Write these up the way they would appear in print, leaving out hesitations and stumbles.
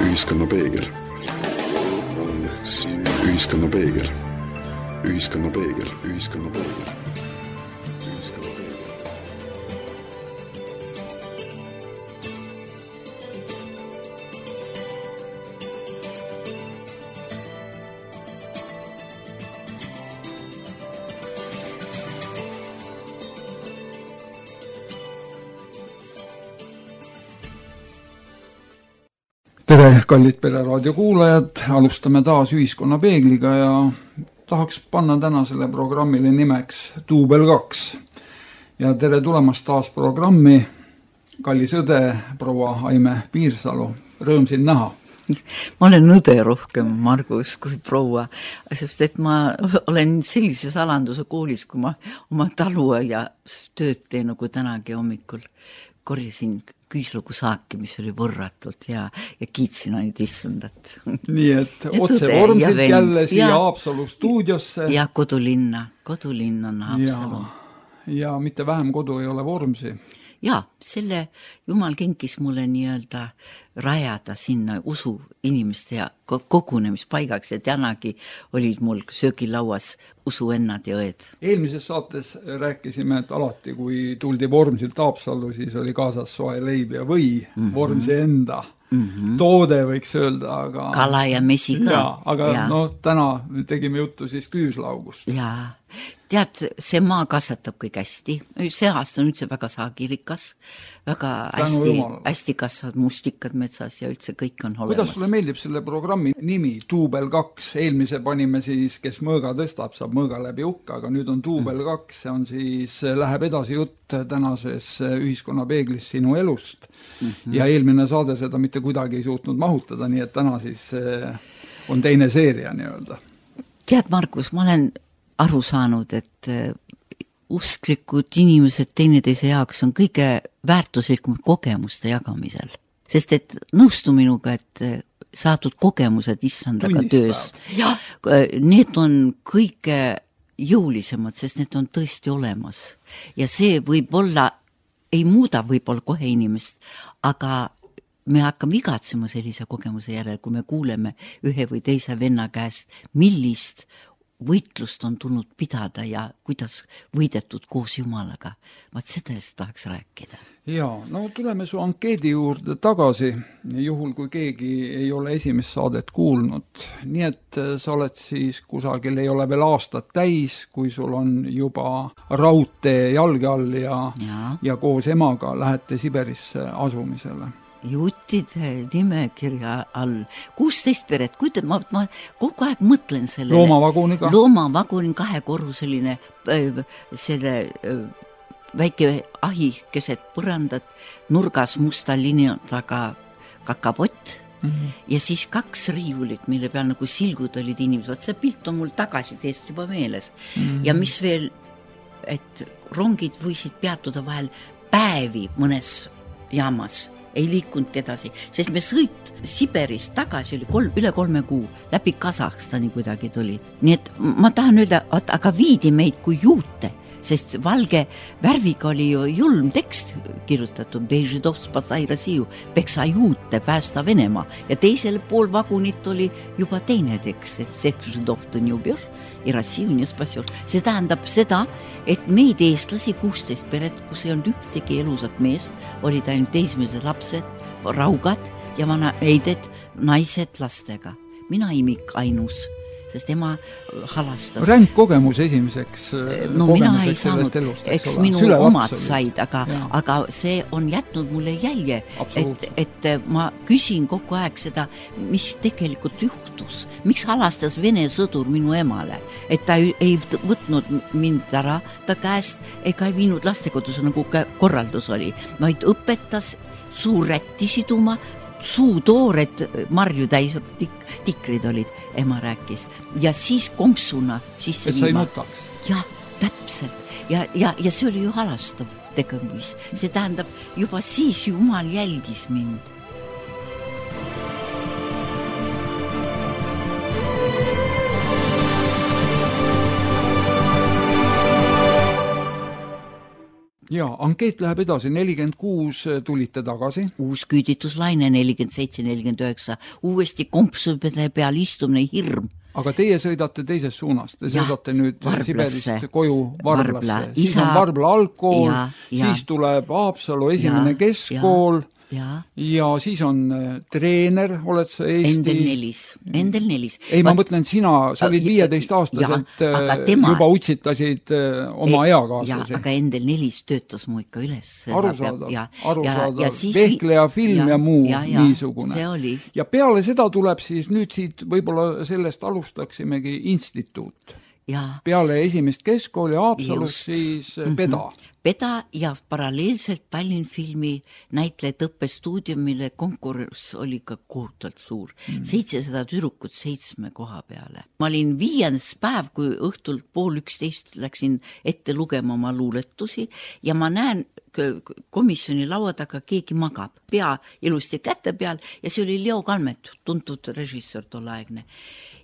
Ühiskonna peegel. Ühiskonna peegel. Ühiskonna peegel. Ühiskonna peegel. Tere, kallid Pereraadio kuulajad, alustame taas Ühiskonna peegliga ja tahaks panna tänasele programmile nimeks Duubel 2. Ja tere tulemast taas programmi, kallis õde, proua Aime Piirsalu, rõõm sind näha. Ma olen õde rohkem, Margus, kui proua, sest et ma olen sellises alanduse koolis, kui ma oma taluaia tööd teen, nagu tänagi hommikul korjasin küüslugu saaki, mis oli võrratult ja kiitsin ainult istundat. Nii et otse vormsilt jälle siia Haapsalu stuudiosse. Ja kodulinna on Haapsalu. Ja mitte vähem kodu ei ole Vormsi. Ja, selle Jumal kinkis mulle nii-öelda rajada sinna usu inimeste ja kogunemispaigaks ja tänagi olid mul söögilauas usuennad ja õed. Eelmises saates rääkisime, et alati kui tuldi Vormsilt Haapsallu, siis oli kaasas soe leib ja või Vormsi enda toode, võiks öelda, aga kala ja mesi ka. Aga täna tegime juttu siis küüslaugust. Jaa. Tead, see maa kasvatab kõik hästi. See aasta on üldse väga saagirikas, väga hästi kasvavad mustikad metsas ja üldse kõik on olemas. Kuidas sulle meeldib selle programmi nimi Duubel 2? Eelmise panime siis, kes mõõga tõstab, saab mõõga läbi ukka, aga nüüd on Duubel 2, see on siis, läheb edasi jutt tänases Ühiskonna peeglis sinu elust. Ja eelmine saade seda mitte kuidagi ei suutnud mahutada, nii et täna siis on teine seeria nii-öelda. Tead, Margus, ma olen aru saanud, et usklikud inimesed teineteise jaoks on kõige väärtuslikum kogemuste jagamisel. Sest et nõustu minuga, et saadud kogemused issandaga töös. Ja, need on kõige jõulisemad, sest need on tõesti olemas. Ja see võib-olla, ei muuda võib-olla kohe inimest, aga me hakkame igatsema sellise kogemuse järel, kui me kuuleme ühe või teise venna käest, millist võitlust on tulnud pidada ja kuidas võidetud koos Jumalaga. Vaat sellest tahaks rääkida. Jaa, tuleme su ankeedi juurde tagasi, juhul kui keegi ei ole esimest saadet kuulnud. Nii et sa oled siis kusagil, ei ole veel aastat täis, kui sul on juba raudtee jalge all ja koos emaga lähete Siberisse asumisele. Juttide nimekirja all 16 peret, kuid ma kogu aeg mõtlen selle loomavaguniga 2-korruseline selle väike ahi keset põrandat, nurgas musta linja taga kakapott ja siis 2 riiulit, mille peal nagu silgud olid inimesed. See pilt on mul tagasi teest juba meeles. Ja mis veel, et rongid võisid peatuda vahel päevi mõnes jaamas, ei liikunud edasi, sest me sõit Siberist tagasi oli üle 3 kuu, läbi Kasahstani kuidagi tulid. Nii et ma tahan öelda, aga viidi meid kui juute, sest valge värviga oli ju julm tekst kirjutatud, Bežidov spasai Rossiju, peksa juute, päästa Venemaa. Ja teisel pool vagunit oli juba teine tekst, et Bežidov tõn jubjoš ja Rossiju nie spasjoš. See tähendab seda, et meid eestlasi 16 peret, kus ei olnud ühtegi elusat meest, olid ainult teismelised lapsed, raugad ja vanaeided, naised lastega. Mina imik ainus, sest ema halastas. Ränk kogemus esimeseks mina ei saanud, eks minu omad said, aga see on jätnud mulle jälje, et ma küsin kogu aeg seda, mis tegelikult juhtus. Miks halastas Vene sõdur minu emale, et ta ei võtnud mind ära ta käest ega ei viinud lastekodus, nagu korraldus oli, vaid õpetas suurrätti siduma, suutoored marju täis tikrid olid, ema rääkis. Ja siis kompsuna sisse viima. Et sa ei nutaks. Jah, täpselt. Ja see oli ju halastav tegemus. See tähendab, juba siis Jumal jälgis mind. Jaa, ankeet läheb edasi, 46 tulite tagasi. Uus küüdituslaine 47-49, uuesti kompsude peal istumine hirm. Aga teie sõidate teisest suunast, te sõidate nüüd Varblasse. Siberist koju Varblasse. Siis Isa, on Varbla algkool, ja. siis tuleb Haapsalu esimene keskkool ja siis on treener, oled sa Endel Nelis. Ei, ma mõtlen sina, sa olid 15-aastaselt, juba utsitasid oma eakaaslasi. Aga Endel Nelis töötas mu ikka üles. Arusaadav. Vehkleja film ja muu niisugune. See oli. Ja peale seda tuleb siis, nüüd siit võib-olla sellest alustaksimegi instituut. Peale esimest keskkooli Haapsalus siis Peda ja paralleelselt Tallinn filmi näitlejate õppestuudium, mille konkurss oli ka kohutavalt suur. 700 tüdrukut 7 koha peale. Ma olin 5. päev, kui õhtul 10:30 läksin ette lugema oma luuletusi ja ma näen komisjoni laua taga keegi magab, pea ilusti käte peal ja see oli Leo Kalmet, tuntud režissöör tolleaegne.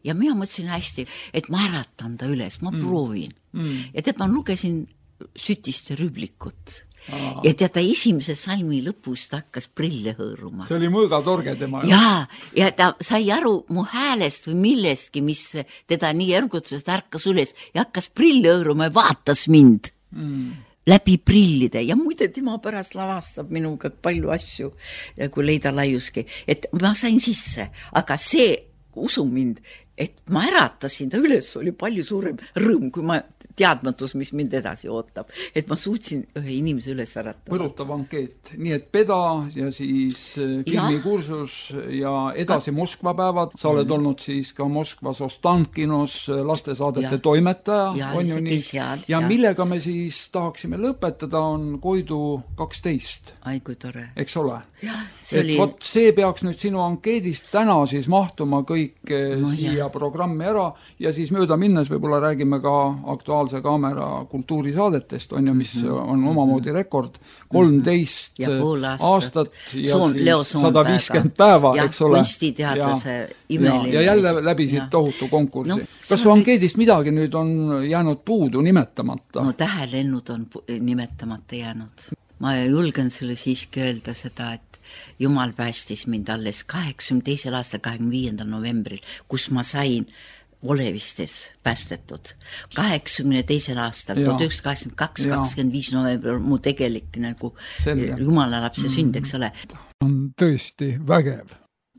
Ja mina mõtlesin hästi, et ma äratan ta üles, ma proovin. Ja tead, ma lugesin Sütiste rüblikut. Ja tead, esimese salmi lõpus ta hakkas prille hõõruma. See oli mõõgatorge tema. Ja ta sai aru mu häälest või millestki, mis teda nii ergutusest ärkas üles ja hakkas prille hõõruma ja vaatas mind läbi prillide. Ja muide, tema pärast lavastab minuga palju asju, kui Leida Laiuski. Et ma sain sisse, aga see, usu mind, et ma äratasin ta üles, oli palju suurem rõõm, kui ma teadmatus, mis mind edasi ootab. Et ma suutsin ühe inimese üles äratada. Põrutav ankeet. Nii et Peda ja siis filmikursus ja edasi Moskva päevad. Sa oled olnud siis ka Moskvas Ostankinos lastesaadete toimetaja. On ju nii? Ja millega me siis tahaksime lõpetada on Koidu 12. Ai, kui tore. Eks ole? Et see peaks nüüd sinu ankeedist täna siis mahtuma kõik siia programmi ära ja siis mööda minnes võib-olla räägime ka Aktuaalse Kaamera kultuurisaadetest, on ju, mis on omamoodi rekord, 13 aastat ja siis 150 päeva, eks ole. Kunstiteadlase imeline. Ja jälle läbisid tohutu konkursi. Kas su ankeedist midagi nüüd on jäänud puudu nimetamata? No tähelennud on nimetamata jäänud. Ma julgen sulle siiski öelda seda, et Jumal päästis mind alles 82. aastal 25. novembril, kus ma sain Olevistes päästetud. 82. aastal, 1982, 25. novembril mu tegelik nagu Jumala lapse sünd, eks ole. On tõesti vägev.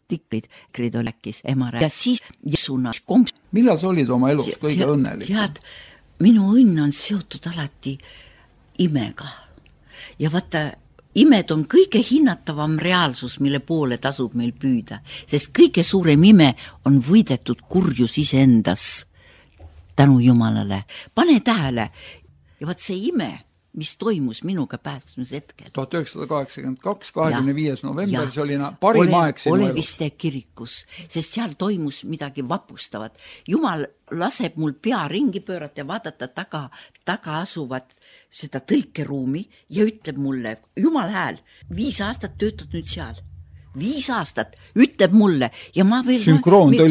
Tiklid olekis emare. Ja siis suunas Millal sa olid oma elus kõige õnnelik? Tead, minu õnn on seotud alati imega. Ja vaata, imed on kõige hinnatavam reaalsus, mille poole tasub meil püüda, sest kõige suurem ime on võidetud kurjus iseendas tänu Jumalale. Pane tähele, ja vaat see ime, mis toimus minuga päästmise hetkel. 1982, 25. november, see oli parim aeg sinu elus. Oleviste kirikus, sest seal toimus midagi vapustavat. Jumal laseb mul pea ringi pöörata ja vaadata taga asuvat seda tõlkeruumi ja ütleb mulle, Jumal hääl, 5 aastat töötad nüüd seal. 5 aastat, ütleb mulle ja ma veel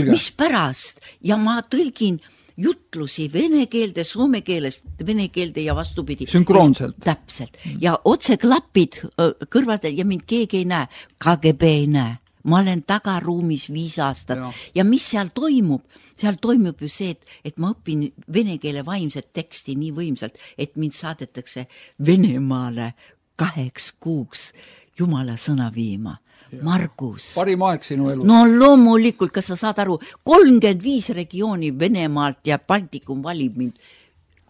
mis pärast ja ma tõlgin jutlusi vene keelde, soome keelest, vene keelde ja vastupidi. Sünkroonselt. Täpselt. Ja otse klapid kõrvadel ja mind keegi ei näe. KGB ei näe. Ma olen tagaruumis 5 aastat. Ja mis seal toimub? Seal toimub ju see, et ma õpin vene keele vaimset teksti nii võimsalt, et mind saadetakse Venemaale 2 kuuks Jumala sõna viima. Margus. Parim aeg sinu elus. No loomulikult, kas sa saad aru, 35 regiooni Venemaalt ja Baltikum valib mind.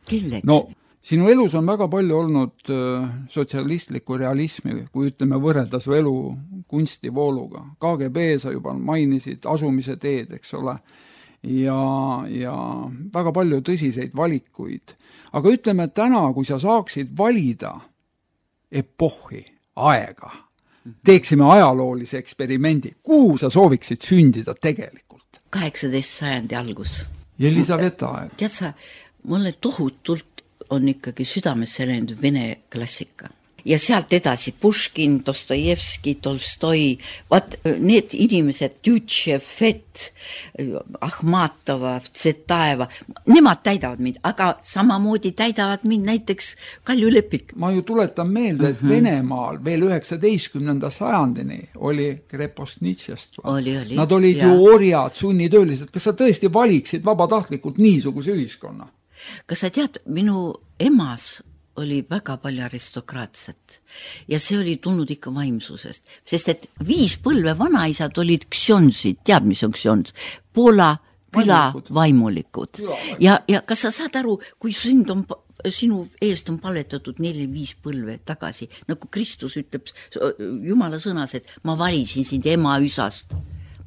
Kelleks? No, sinu elus on väga palju olnud sotsialistlikku realismi, kui ütleme võrrelda su elu kunstivooluga. KGB sa juba mainisid, asumise teed, eks ole, ja väga palju tõsiseid valikuid. Aga ütleme täna, kui sa saaksid valida epohhi, aega, teeksime ajaloolise eksperimendi. Kuhu sa sooviksid sündida tegelikult? 18. sajandi algus. Jelisaveta aeg. Tead sa, mulle tohutult on ikkagi südamesse läinud vene klassika. ja sealt edasi Puškin, Dostojevski, Tolstoi, vaat need inimesed, Tütšev, Fett, Ahmatova, Tsvetaeva, nemad täidavad mind, aga samamoodi täidavad mind näiteks Kalju Lepik. Ma ju tuletan meelde, et Venemaal veel 19. sajandini oli krepostnitšestvo. Nad olid ju orjad, sunnitöölised. Kas sa tõesti valiksid vabatahtlikult niisuguse ühiskonna? Kas sa tead, minu emas oli väga palju aristokraatset ja see oli tulnud ikka vaimsusest, sest et 5 põlve vanaisad olid ksjonsid, tead mis on ksjons? Poola küla vaimulikud. Ja kas sa saad aru, kui sinu eest on palvetatud 4-5 põlve tagasi, nagu Kristus ütleb Jumala sõnas, et ma valisin sind ema üsast.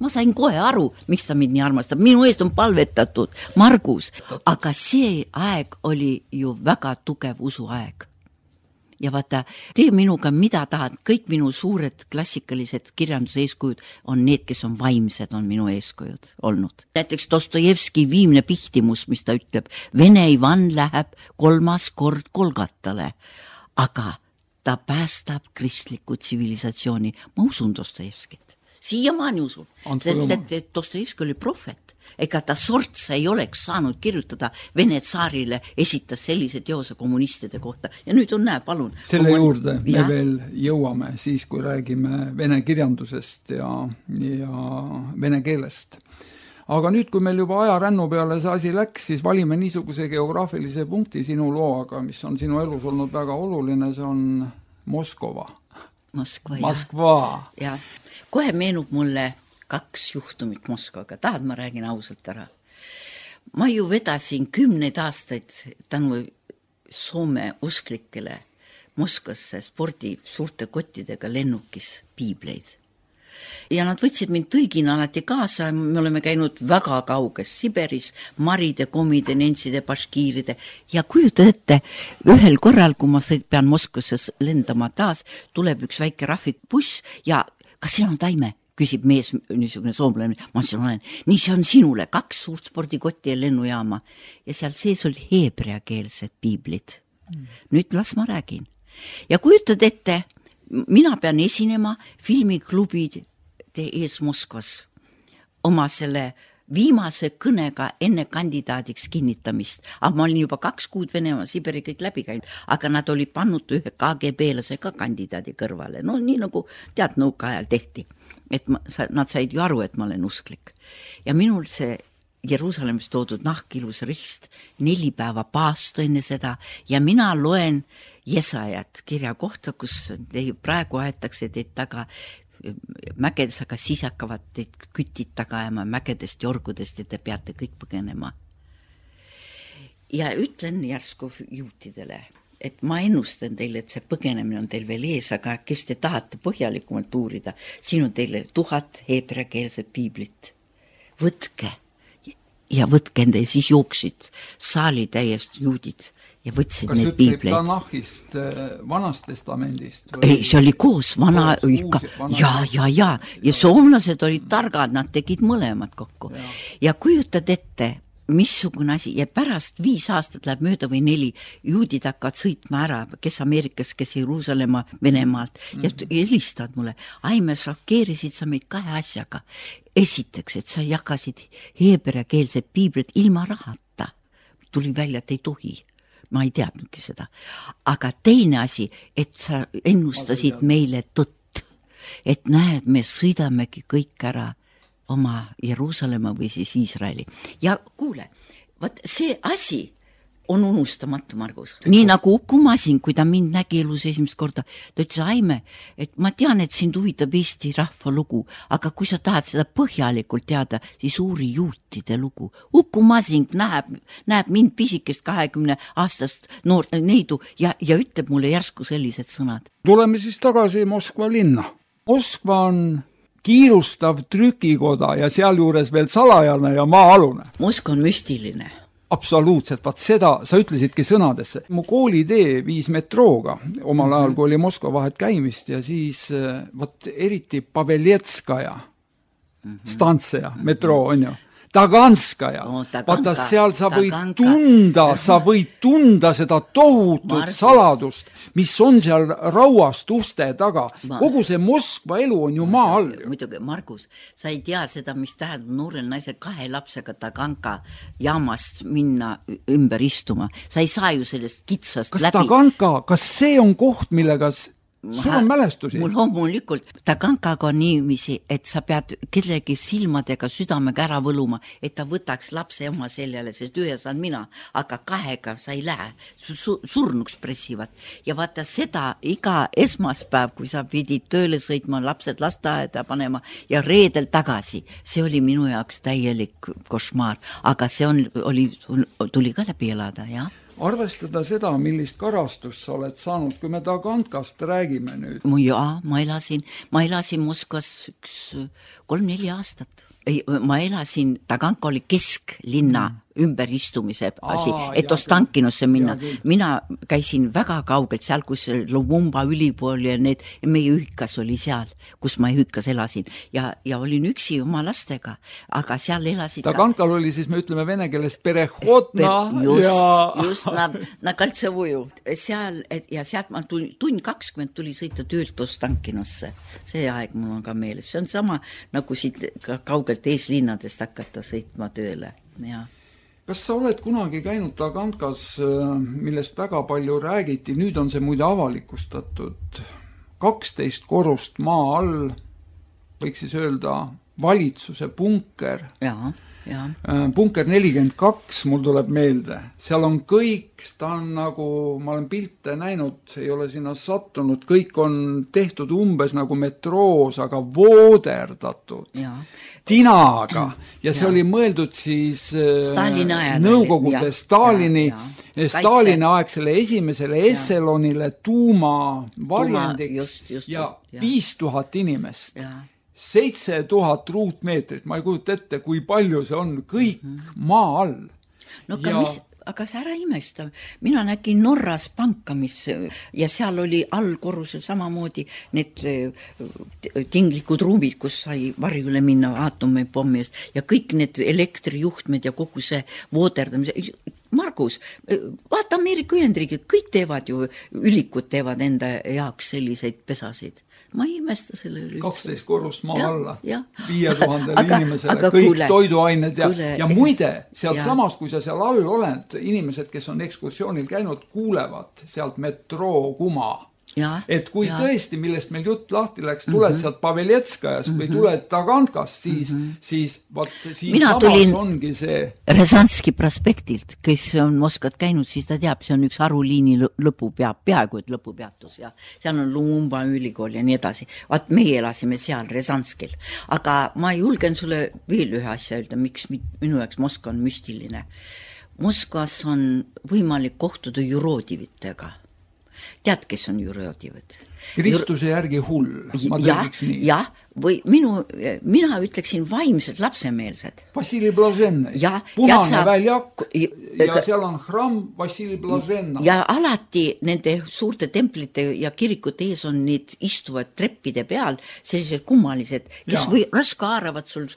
Ma sain kohe aru, miks ta mind nii armastab. Minu eest on palvetatud Margus, aga see aeg oli ju väga tugev usuaeg. Ja vaata, tee minuga mida tahad, kõik minu suured klassikalised kirjanduse eeskujud on need, kes on vaimsed, on minu eeskujud olnud. Näiteks Dostojevski Viimne pihtimus, mis ta ütleb, Vene Ivan läheb 3. kord Kolgatale, aga ta päästab kristlikku tsivilisatsiooni. Ma usun Dostojevskit. Siiamaani usun, sest et Dostojevski oli prohvet, ega ta sortsa ei oleks saanud kirjutada Vene tsaarile, esitas sellise teose kommunistide kohta ja nüüd on näe, palun. Selle juurde me veel jõuame siis, kui räägime vene kirjandusest ja vene keelest. Aga nüüd, kui meil juba ajarännu peale see asi läks, siis valime niisuguse geograafilise punkti sinu looga, mis on sinu elus olnud väga oluline, see on Moskva. Moskva. Ja kohe meenub mulle 2 juhtumit Moskvaga. Tahad, ma räägin ausalt ära. Ma ju vedasin 10 aastaid tänu Soome usklikele Moskvasse spordi suurte kottidega lennukis piibleid. Ja nad võtsid mind tõlgina alati kaasa, me oleme käinud väga kauges Siberis, maride, komide, nentside, baškiiride ja kujutad ette, ühel korral, kui ma pean Moskvasse lendama taas, tuleb üks väike rahvikbuss ja kas siin on Taime? Küsib mees, niisugune soomlane, ma olen, nii see on sinule, 2 suurt spordikotti ja lennujaama ja seal sees oli heebreakeelsed piiblid. Nüüd las ma räägin. Ja kujutad ette, mina pean esinema filmiklubide ees Moskvas oma selle viimase kõnega enne kandidaadiks kinnitamist. Aga ma olin juba 2 kuud Venemaa, Siberi kõik läbi käinud, aga nad olid pannud ühe KGB-lase ka kandidaadi kõrvale. No nii nagu tead nõuka ajal tehti, et nad said ju aru, et ma olen usklik. Ja minul see Jeruusalemmis toodud nahkilus rist 4 päeva paastu enne seda ja mina loen Jesajat kirja kohta, kus praegu aetakse teid taga mägedes, aga siis hakkavad teid kütid taga ajama mägedest jorgudest ja te peate kõik põgenema. Ja ütlen järsku juutidele, et ma ennustan teile, et see põgenemine on teil veel ees, aga kes te tahate põhjalikumalt uurida, siin on teile 1000 heebreakeelset piiblit. Võtke ja võtke enda ja siis jooksid saali täiest juudid ja võtsid need piibleid. Kas ütleb Tanahist, Vanast testamendist? Ei, see oli koos, vana ikka. Ja soomlased olid targad, nad tegid mõlemad kokku. Ja kujutad ette, missugune asi ja pärast 5 aastat läheb mööda või 4, juudid hakkavad sõitma ära, kes Ameerikas, kes Jeruusalemma, Venemaalt ja helistavad mulle. Me šokeerisid sa meid 2 asjaga. Esiteks, et sa jagasid heebreakeelsed piiblit ilma rahata. Tuli välja, et ei tohi. Ma ei teadnudki seda. Aga teine asi, et sa ennustasid meile tõtt. Et näed, me sõidamegi kõik ära oma Jeruusalemma või siis Iisraeli. Ja kuule, vaat see asi on unustamatu, Margus. Nii nagu Uku Masin, kui ta mind nägi elus esimest korda, ta ütles, Aime, et ma tean, et sind huvitab Eesti rahva lugu, aga kui sa tahad seda põhjalikult teada, siis uuri juutide lugu. Uku Masin näeb mind pisikest 20 aastast noort neidu ja ütleb mulle järsku sellised sõnad. Tuleme siis tagasi Moskva linna. Moskva on kiirustav trükikoda ja sealjuures veel salajane ja maa-alune. Moskva on müstiline. Absoluutselt, vaat seda sa ütlesidki sõnadesse. Mu koolitee viis metrooga omal ajal, kui oli Moskva vahet käimist ja siis vaat eriti Paveljetskaja stantseja, metroo on ju. Taganskaja. No, vaata, seal sa võid tunda seda tohutut saladust, mis on seal rauast uste taga. Kogu see Moskva elu on ju maa all. Muidugi, Margus, sa ei tea seda, mis tähendab noorel naisel 2 lapsega Taganka jaamast minna ümber istuma. Sa ei saa ju sellest kitsast läbi. Taganka, kas see on koht, millega sul on mälestusi? Mul loomulikult Tagankaga on niiviisi, et sa pead kellegi silmadega südamega ära võluma, et ta võtaks lapse oma seljale, sest 1 on mina, aga 2 sa ei lähe, surnuks pressivad. Ja vaata seda iga esmaspäev, kui sa pidid tööle sõitma, lapsed lasteaeda panema ja reedel tagasi, see oli minu jaoks täielik košmaar, aga see tuli ka läbi elada, jah. Arvestada seda, millist karastust sa oled saanud, kui me Tagankast räägime nüüd. Jaa, ma elasin Moskvas 3-4 aastat. Ma elasin, Taganka oli kesklinna ümberistumise asi, et Ostankinosse minna. Mina käisin väga kaugelt seal, kus Lumumba ülikool ja meie ühikas oli seal, kus ma ühikas elasin. Ja olin üksi oma lastega, aga seal elasid... Tagankal oli siis, me ütleme vene keeles, perehodna just na kaltsevuju. Ja sealt ma tund 20 tuli sõita töölt Ostankinosse. See aeg mul on ka meeles. See on sama, nagu siit kaugelt eeslinnadest hakata sõitma tööle, jah. Kas sa oled kunagi käinud Tagankas, millest väga palju räägiti, nüüd on see muide avalikustatud, 12 korrust maa all, võiks siis öelda valitsuse bunker. Jaa. Bunker 42, mul tuleb meelde. Seal on kõik, ta on nagu, ma olen pilte näinud, ei ole sinna sattunud, kõik on tehtud umbes nagu metroos, aga vooderdatud tinaga. Ja see oli mõeldud siis Nõukogude Stalini aegsele esimesele esselonile tuumavarjendiks ja 5000 inimest. 7000 ruutmeetrit, ma ei kujuta ette, kui palju see on, kõik maa all. No aga sa ära imesta. Mina nägin Norras panka, ja seal oli allkorrusel samamoodi need tinglikud ruumid, kus sai varjule minna aatomipommi eest ja kõik need elektrijuhtmed ja kogu see vooderdamise. Margus, vaata Ameerika Ühendriigid, kõik teevad ju, ülikud teevad enda jaoks selliseid pesasid. Ma ei imesta selle üle. 12 korrust maa alla, 5000 inimesele, kõik toiduained ja muide, sealt samast, kui sa seal all oled, inimesed, kes on ekskursioonil käinud, kuulevad sealt metroo kuma. Et kui tõesti, millest meil jutt lahti läks, tuled sealt Paveletskajast või tuled Tagankast, siis samas ongi see... Rezanski prospektilt, kes on Moskvat käinud, siis ta teab, see on üks haruliini peaaegu et lõpupeatus ja seal on Lumumba ülikool ja nii edasi. Vaat meie elasime seal Rezanskil. Aga ma julgen sulle veel ühe asja öelda, miks minu jaoks Moskva on müstiline. Moskvas on võimalik kohtuda juroodivitega. Tead, kes on juroodivad? Kristuse järgi hull, ma tegiks nii. Jah, või mina ütleksin vaimsed lapsemeelsed. Vassili Blaženna, punane väljak ja seal on hramm Vassili Blaženna. Ja alati nende suurte templite ja kirikute ees on need istuvad treppide peal, sellised kummalised, kes raska haaravad sul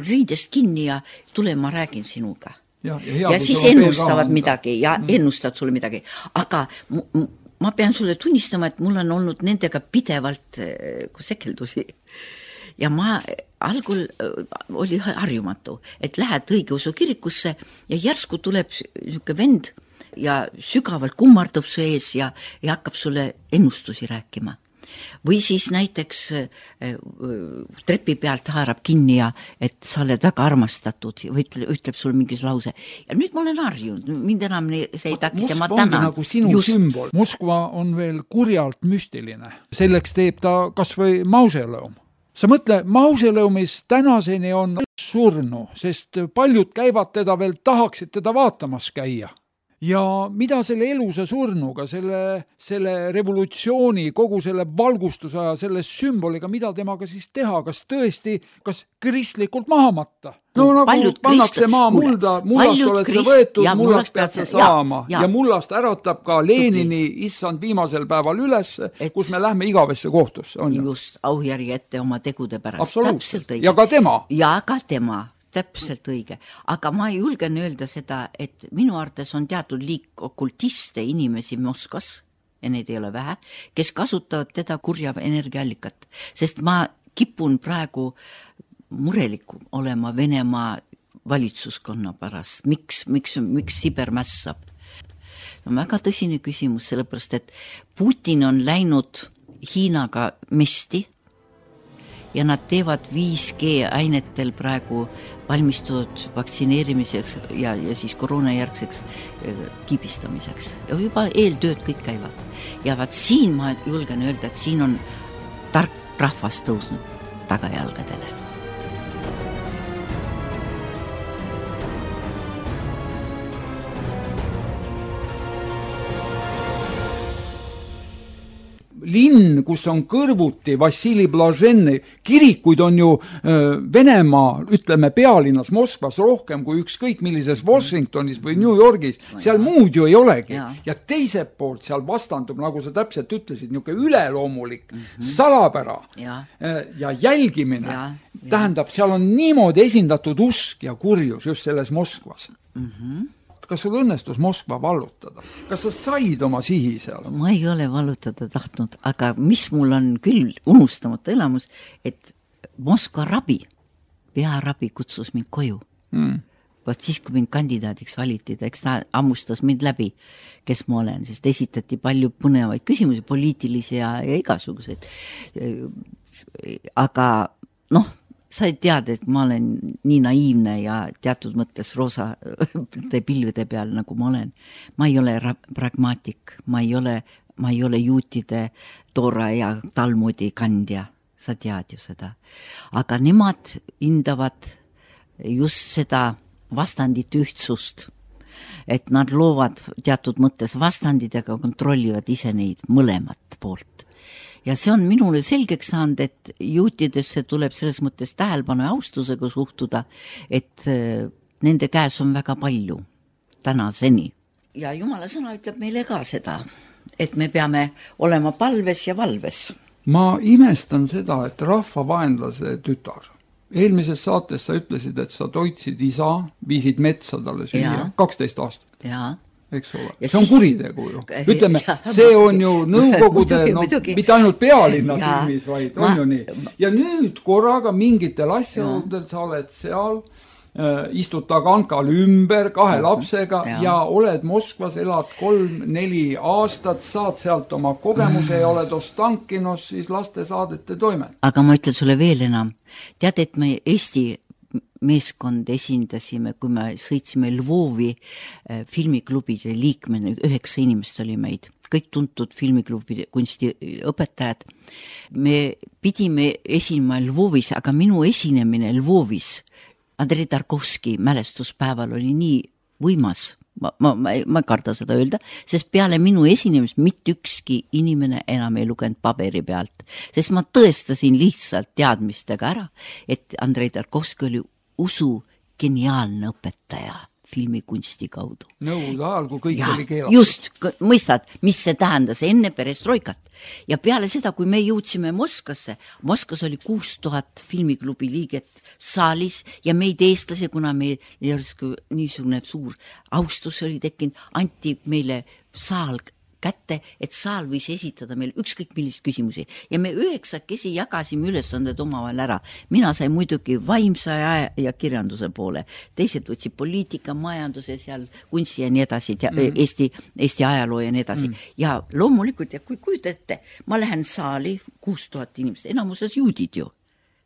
riidest kinni ja tule, ma räägin sinuga. Ja siis ennustavad midagi ja ennustavad sulle midagi. Aga ma pean sulle tunnistama, et mul on olnud nendega pidevalt sekeldusi. Ja ma algul oli harjumatu, et lähed õigeusu kirikusse ja järsku tuleb niisugune vend ja sügavalt kummardub su ees ja hakkab sulle ennustusi rääkima. Või siis näiteks trepi pealt haarab kinni ja et sa oled väga armastatud või ütleb sulle mingis lause. Ja nüüd ma olen harjunud, mind enam see ei takist ja ma tänan. Moskva ongi nagu sinu sümbol. Moskva on veel kurjalt müstiline. Selleks teeb ta kas või mausoleum. Sa mõtle, mausoleumis tänaseni on surnu, sest paljud käivad teda veel, tahaksid teda vaatamas käia. Ja mida selle elusa surnuga, selle revolutsiooni, kogu selle valgustusaja, selle sümboliga, mida temaga siis teha, kas tõesti, kas kristlikult maha matta? No nagu pannakse maa mulda, mullast oled sa võetud, mullast pead sa saama ja mullast äratab ka Lenini issand viimasel päeval üles, kus me lähme igavesse kohtusse. Just, auhjärgi ette oma tegude pärast. Absoluutselt, ja ka tema. Ja ka tema. täpselt õige, aga ma julgen öelda seda, et minu arvates on teatud liik okultiste inimesi Moskvas, ja neid ei ole vähe, kes kasutavad teda kurja energiaallikat, sest ma kipun praegu murelik olema Venemaa valitsuskonna pärast, miks Siber mässab. No väga tõsine küsimus, sellepärast, et Putin on läinud Hiinaga mesti ja nad teevad 5G ainetel praegu valmistunud vaktsineerimiseks ja siis koroonajärgseks kiibistamiseks. Ja juba eeltööd kõik käivad. Ja vaat siin ma julgen öelda, et siin on tark rahvas tõusnud tagajalgadele. Linn, kus on kõrvuti Vassili Blaženi kirikuid, on ju Venemaa, ütleme pealinnas Moskvas rohkem kui ükskõik millises Washingtonis või New Yorgis, seal muud ju ei olegi. Ja teiselt poolt seal vastandub, nagu sa täpselt ütlesid, niisugune üleloomulik salapära ja jälgimine. Tähendab, seal on niimoodi esindatud usk ja kurjus just selles Moskvas. Kas sul õnnestus Moskva vallutada? Kas sa said oma sihi seal? Ma ei ole vallutada tahtnud, aga mis mul on küll unustamata elamus, et Moskva rabi, pearabi kutsus mind koju. Vaat siis, kui mind kandidaadiks valiti, eks ta ammustas mind läbi, kes ma olen, sest esitati palju põnevaid küsimusi, poliitilisi ja igasuguseid. Aga sa ei tead, et ma olen nii naiivne ja teatud mõttes roosa pilvede peal, nagu ma olen. Ma ei ole pragmaatik, ma ei ole juutide Toora ja Talmudi kandja, sa tead ju seda. Aga nemad hindavad just seda vastandit ühtsust, et nad loovad teatud mõttes vastandid, aga kontrollivad ise neid mõlemat poolt. Ja see on minule selgeks saanud, et juutidesse tuleb selles mõttes tähelepanu ja austusega suhtuda, et nende käes on väga palju tänaseni. Ja Jumala sõna ütleb meile ka seda, et me peame olema palves ja valves. Ma imestan seda, et rahvavaenlase tütar. Eelmises saates sa ütlesid, et sa toitsid isa, viisid metsa talle süüa 12 aastat. Jaa. Eks ole. See on kuritegu ju. Ütleme, see on ju nõukogude, mitte ainult pealinna silmis, vaid on ju nii. Ja nüüd korraga mingitel asjaoludel sa oled seal, istud tagankal ümber 2 lapsega ja oled Moskvas, elad 3-4 aastat, saad sealt oma kogemuse ja oled Ostankinos siis lastesaadete toimet. Aga ma ütlen sulle veel enam. Tead, et me Eesti meeskond esindasime, kui me sõitsime Lvovi filmiklubide liikmena, 9 inimest oli meid, kõik tuntud filmiklubi kunstiõpetajad. Me pidime esinema Lvovis, aga minu esinemine Lvovis Andrei Tarkovski mälestuspäeval oli nii võimas, ma ei karda seda öelda, sest peale minu esinemist mitte ükski inimene enam ei lugenud paberi pealt, sest ma tõestasin lihtsalt teadmistega ära, et Andrei Tarkovski oli usu geniaalne õpetaja filmikunsti kaudu. Nõukogude ajal, kui kõik oli keelatud. Just, mõistad, mis see tähendas enne perestroikat. Ja peale seda, kui me jõudsime Moskvasse, Moskvas oli 6000 filmiklubi liiget saalis ja meid eestlasi, kuna meil niisugune suur austus oli tekkinud, anti meile saal kätte, et saal võis esitada meil ükskõik millist küsimusi. Ja me 9 jagasime ülesanded omavahel ära. Mina sain muidugi vaimsa ja kirjanduse poole. Teised võtsid poliitika, majanduse, seal kunsti ja nii edasi, Eesti ajaloo ja nii edasi. Ja loomulikult, ja kui kujutete, ma lähen saali 6000 inimest, enamuses juudid ju.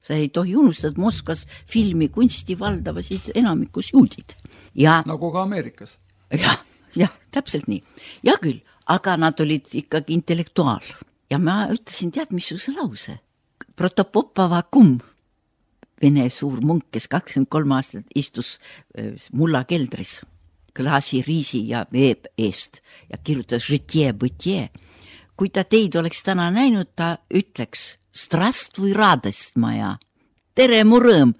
Sa ei tohi unustada, et Moskvas filmi kunsti valdavasid enamikus juudid. Ja, nagu ka Ameerikas. Jah, täpselt nii. Ja küll, aga nad olid ikkagi intellektuaal. Ja ma ütlesin, tead, missuguse lause. Protopopava kum, Vene suur munk, kes 23 aastat istus mulla keldris, klaasi riisi ja veeb eest ja kirjutas žitje-bëtje. Kui ta teid oleks täna näinud, ta ütleks Здравствуй, радость моя. Tere mu rõõm.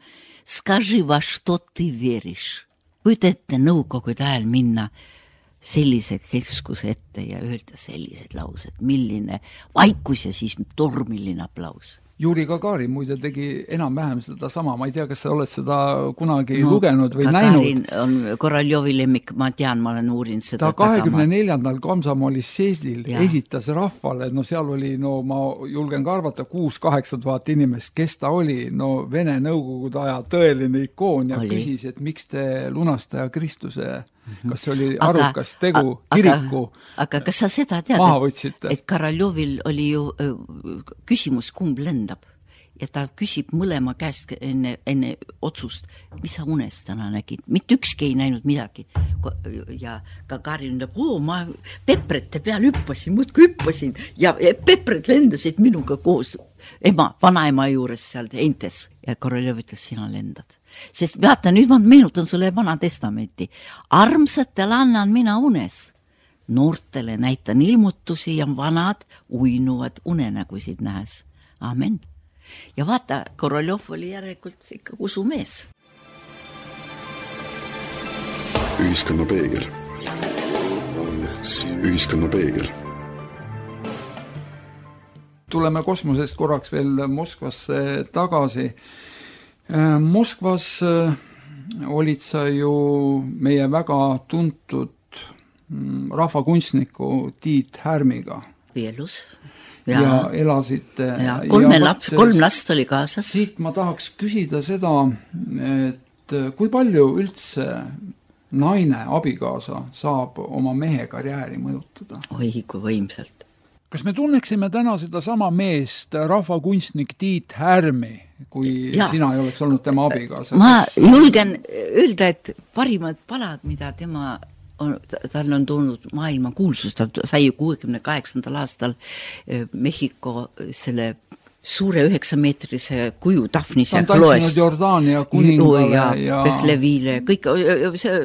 Скажи, во что ты веришь. Kujuta ette nõukogude ajal minna sellise keskuse ette ja öelda sellised laused, milline vaikus ja siis tormiline aplaus. Juri Gagarin muide tegi enam-vähem seda sama, ma ei tea, kas sa oled seda kunagi lugenud või Gagarin näinud. On Koroljovi lemmik, ma tean, ma olen uurinud seda. Ta 24. Komsomoli seesil esitas rahvale, no seal oli, no ma julgen ka arvata, 6-8 tuhat inimest, kes ta oli, no Vene Nõukogude aja tõeline ikoon ja küsis, et miks te lunastaja Kristuse, kas see oli arukas tegu kiriku aga kas sa seda tead, maha võtsite? Et Koroljovil oli ju küsimus, kumb lendab ja ta küsib mõlema käest enne otsust, mis sa unes täna nägid, mitte ükski ei näinud midagi ja Gagarin ütleb, ma peprete peal hüppasin ja pepred lendasid minuga koos vanaema juures seal entes ja Koroljov ütles, sina lendad. Sest vaata, nüüd ma meenutan sulle Vana Testamenti. Armsatele annan mina unes. Noortele näitan ilmutusi ja vanad uinuvad unenägusid nähes. Amen. Ja vaata, Koroljov oli järelikult ikka usumees. Ühiskonna peegel. Ühiskonna peegel. Tuleme kosmosest korraks veel Moskvasse tagasi. Moskvas olid sa ju meie väga tuntud rahvakunstniku Tiit Härmiga. Vielus. Ja elasite. Ja kolm last oli kaasas. Siit ma tahaks küsida seda, et kui palju üldse naine, abikaasa saab oma mehe karjääri mõjutada? Oi, kui võimsalt. Kas me tunneksime täna seda sama meest, rahvakunstnik Tiit Härmi, kui sina ei oleks olnud tema abikaasa? Ma julgen öelda, et parimad palad, mida tal on toonud maailma kuulsus, ta sai 68. aastal Mehhiko selle suure 9-meetrise kuju Daphnis ja Chloest. Ta on tantsinud Jordaania kuningale ja Behlevile, kõik,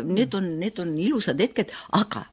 need on ilusad hetked, aga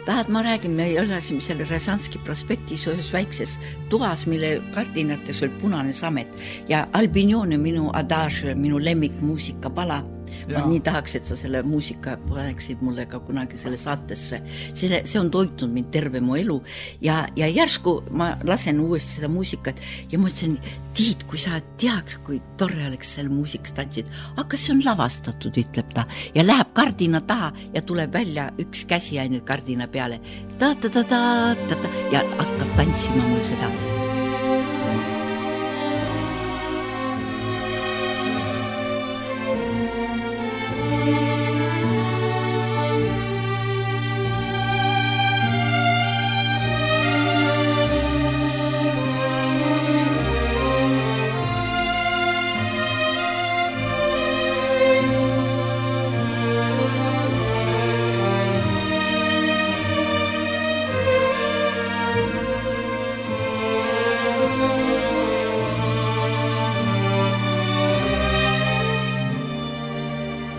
tahad, ma räägin, me elasime selle Rязанski prospektis ühes väikses toas, mille kardinates oli punane samet ja Albinione, minu adage, minu lemmikmuusika pala. Ma nii tahaks, et sa selle muusika paneksid mulle ka kunagi selle saatesse. See on toitnud mind terve mu elu ja järsku ma lasen uuesti seda muusikat ja ma ütlesin, Tiit, kui sa teaks, kui tore oleks selle muusikas tantsid, aga see on lavastatud, ütleb ta, ja läheb kardina taha ja tuleb välja üks käsi ainult kardina peale ta-ta-ta-ta-ta ja hakkab tantsima mul seda.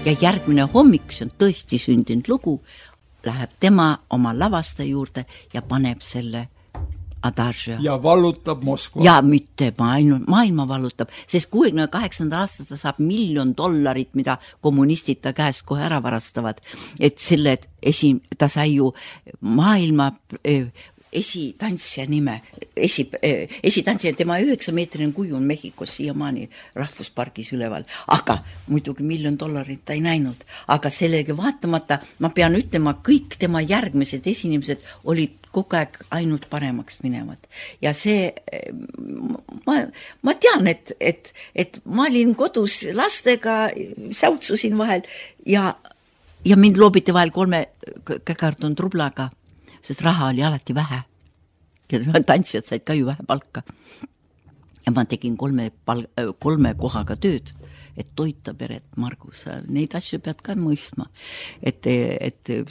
Ja järgmine hommik, see on tõesti sündinud lugu, läheb tema oma lavastaja juurde ja paneb selle adage. Ja vallutab Moskva. Ja mitte maailma vallutab, sest 68. aastal ta saab $1 miljon, mida kommunistid ta käest kohe ära varastavad. Et selle ta sai ju maailma esitantsija nime, esitantsija, tema 9-meetrine kuju on Mehhikos siiamaani rahvuspargis üleval, aga muidugi $1 miljon ta ei näinud, aga sellegi vaatamata ma pean ütlema, kõik tema järgmised esinemised olid kogu aeg ainult paremaks minevad ja see ma tean, et ma olin kodus lastega, säutsusin vahel ja mind loobiti vahel 3 käkarton rublaga, sest raha oli alati vähe. Tantsijad said ka ju vähe palka. Ja ma tegin 3 kohaga tööd, et toita peret, Margus. Neid asju pead ka mõistma. Et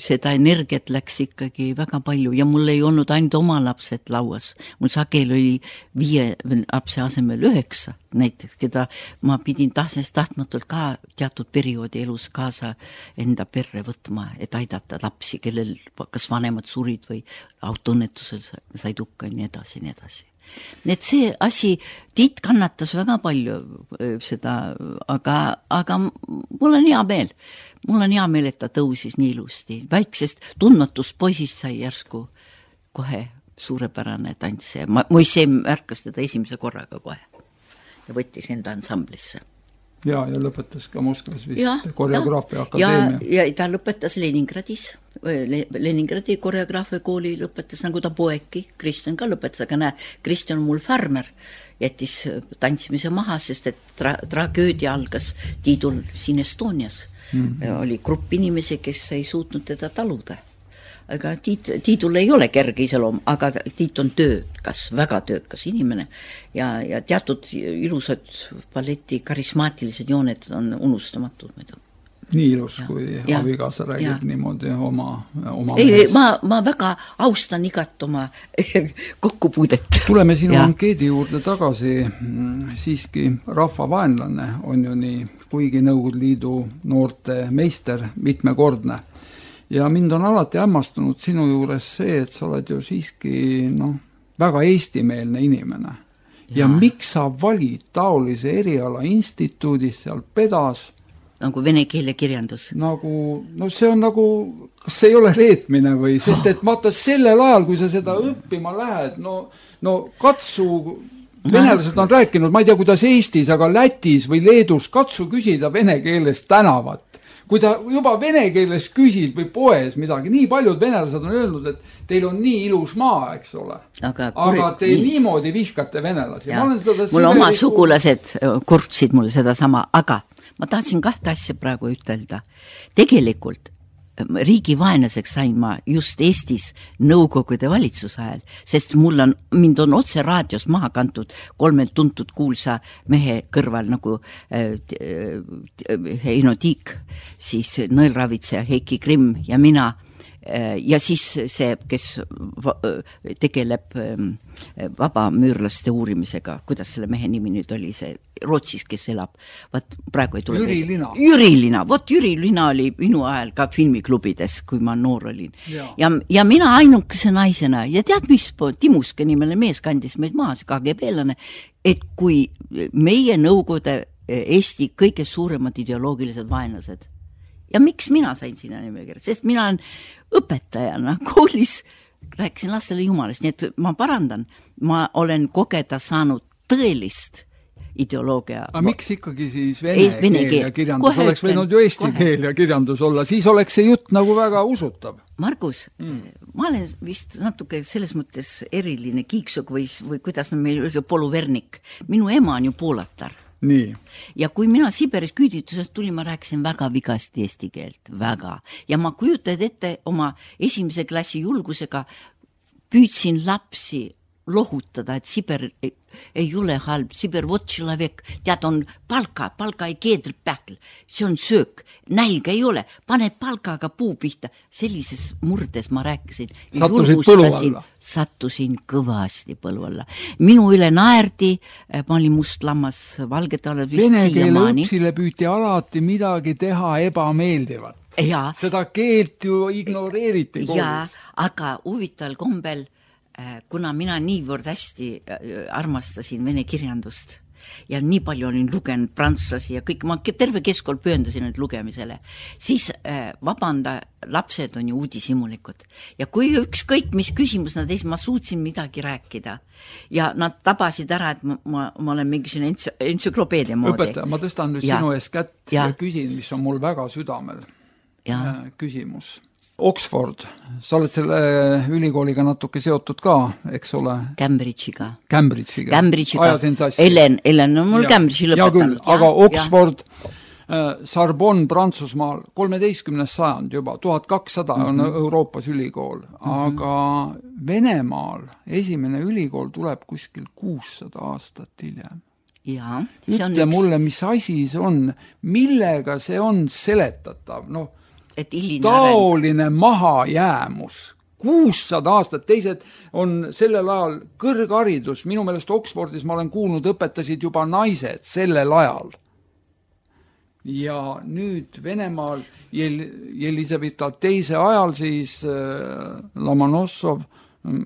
seda energiat läks ikkagi väga palju ja mul ei olnud ainult oma lapsed lauas. Mul sagel oli 5 lapse asemel 9 näiteks, keda ma pidin tahtmatult ka teatud perioodi elus kaasa enda perre võtma, et aidata lapsi, kellel kas vanemad surid või autoõnnetusel said hukka ja nii edasi. Et see asi, Tiit kannatas väga palju seda, aga mul on hea meel. Mul on hea meel, et ta tõusis nii ilusti. Väiksest tundmatust poisist sai järsku kohe suurepärane tantsija. Mu ise märkas teda esimese korraga kohe ja võttis enda ansamblisse. Ja lõpetas ka Moskvas vist koreograafia akadeemia. Ja ta lõpetas Leningradis. Leningradi koreograafia kooli lõpetas, nagu ta poeki. Kristjan ka lõpetas, aga näe, Kristjan on mul farmer. Jättis tantsimise maha, sest et tragöödia algas Tiidul siin Estonias. Oli grupp inimesi, kes ei suutnud teda taluda. Aga Tiidul ei ole kerge iseloom, aga Tiit on töökas, väga töökas inimene ja teatud ilusad balleti karismaatilised jooned on unustamatud muidu. Nii ilus, kui abikaasa räägib niimoodi oma ei, ma väga austan igat oma kokkupuudet. Tuleme sinu ankeedi juurde tagasi. Siiski rahvavaenlane on ju nii, kuigi Nõukogude Liidu noorte meister mitmekordne. Ja mind on alati hämmastunud sinu juures see, et sa oled ju siiski väga eestimeelne inimene. Ja miks sa valid taolise eriala instituudis seal Pedas? Nagu vene keele kirjandus. See on kas see ei ole reetmine või? Sest et vaata sellel ajal, kui sa seda õppima lähed, katsu, venelased on rääkinud, ma ei tea, kuidas Eestis, aga Lätis või Leedus, katsu küsida vene keeles tänavat. Kui ta juba vene keeles küsid või poes midagi, nii paljud venelased on öelnud, et teil on nii ilus maa, eks ole. Aga te niimoodi vihkate venelasi. Mul oma sugulased kurtsid mulle seda sama, aga ma tahtsin kahte asja praegu ütelda. Tegelikult riigi vaenlaseks sain ma just Eestis Nõukogude valitsuse ajal, sest mind on otse raadios maha kantud 3 tuntud kuulsa mehe kõrval nagu Heino Tiik, siis Nõelravitseja Heiki Grimm ja mina ja siis see, kes tegeleb vabamüürlaste uurimisega, kuidas selle mehe nimi nüüd oli, see Rootsis, kes elab, praegu ei tule Jüri Lina, Jüri Lina oli minu ajal ka filmiklubides, kui ma noor olin ja mina ainukese naisena ja tead mis, Timuske nimele mees kandis meid maas, KGB-lane, et kui meie Nõukogude Eesti kõige suuremad ideoloogilised vaenlased ja miks mina sain sinna nimekirja? Sest mina olen õpetajana koolis, rääkisin lastele jumalast, nii et ma parandan, ma olen kogeda saanud tõelist ideoloogia. Aga miks ikkagi siis vene keel ja kirjandus? Oleks võinud ju eesti keel ja kirjandus olla, siis oleks see jutt nagu väga usutav. Margus, ma olen vist natuke selles mõttes eriline kiiksuk või kuidas meil poluvernik. Minu ema on ju poolatar. Nii. Ja kui mina Siberis küüditusest tulin, ma rääkisin väga vigasti eesti keelt, väga. Ja ma kujutad ette oma esimese klassi julgusega püüdsin lapsi lohutada, et Sibir ei ole halb, Sibir vot человек, tead on palka ei keedrib pähkel, see on söök, nälga ei ole, paned palkaga puu pihta, sellises murdes ma rääkisin. Sattusid põlu alla? Sattusin kõvasti põlu alla. Minu üle naerdi, ma olin must lammas Valgetaale vist siiamaani. Vene keele õpsile püüti alati midagi teha ebameeldivat. Ja. Seda keelt ju ignoreeriti koolis. Ja, aga huvitaval kombel kuna mina niivõrd hästi armastasin vene kirjandust ja nii palju olin lugenud prantslasi ja kõik, ma terve keskkool pööndasin nüüd lugemisele, siis vabanda, lapsed on ju uudishimulikud. Ja kui ükskõik mis küsimus nad ees, ma suutsin midagi rääkida ja nad tabasid ära, et ma olen mingisugune entsüklopeedia moodi. Õpetaja, ma tõstan nüüd sinu ees kätt ja küsin, mis on mul väga südamel. Küsimus. Oxford, sa oled selle ülikooliga natuke seotud ka, eks ole? Cambridge'iga. Ajasin sassi. Ellen on mul Cambridge'i lõpetanud. Aga Oxford, Sorbonne Prantsusmaal, 13. sajand juba, 1200 on Euroopas ülikool, aga Venemaal esimene ülikool tuleb kuskil 600 aastat hiljem. Ütle mulle, mis asi see on, millega see on seletatav, taoline mahajäämus. 600 aastat, teised on sellel ajal kõrgharidus, minu meelest Oxfordis ma olen kuulnud, õpetasid juba naised sellel ajal. Ja nüüd Venemaal Jelisaveta teise ajal siis Lomonossov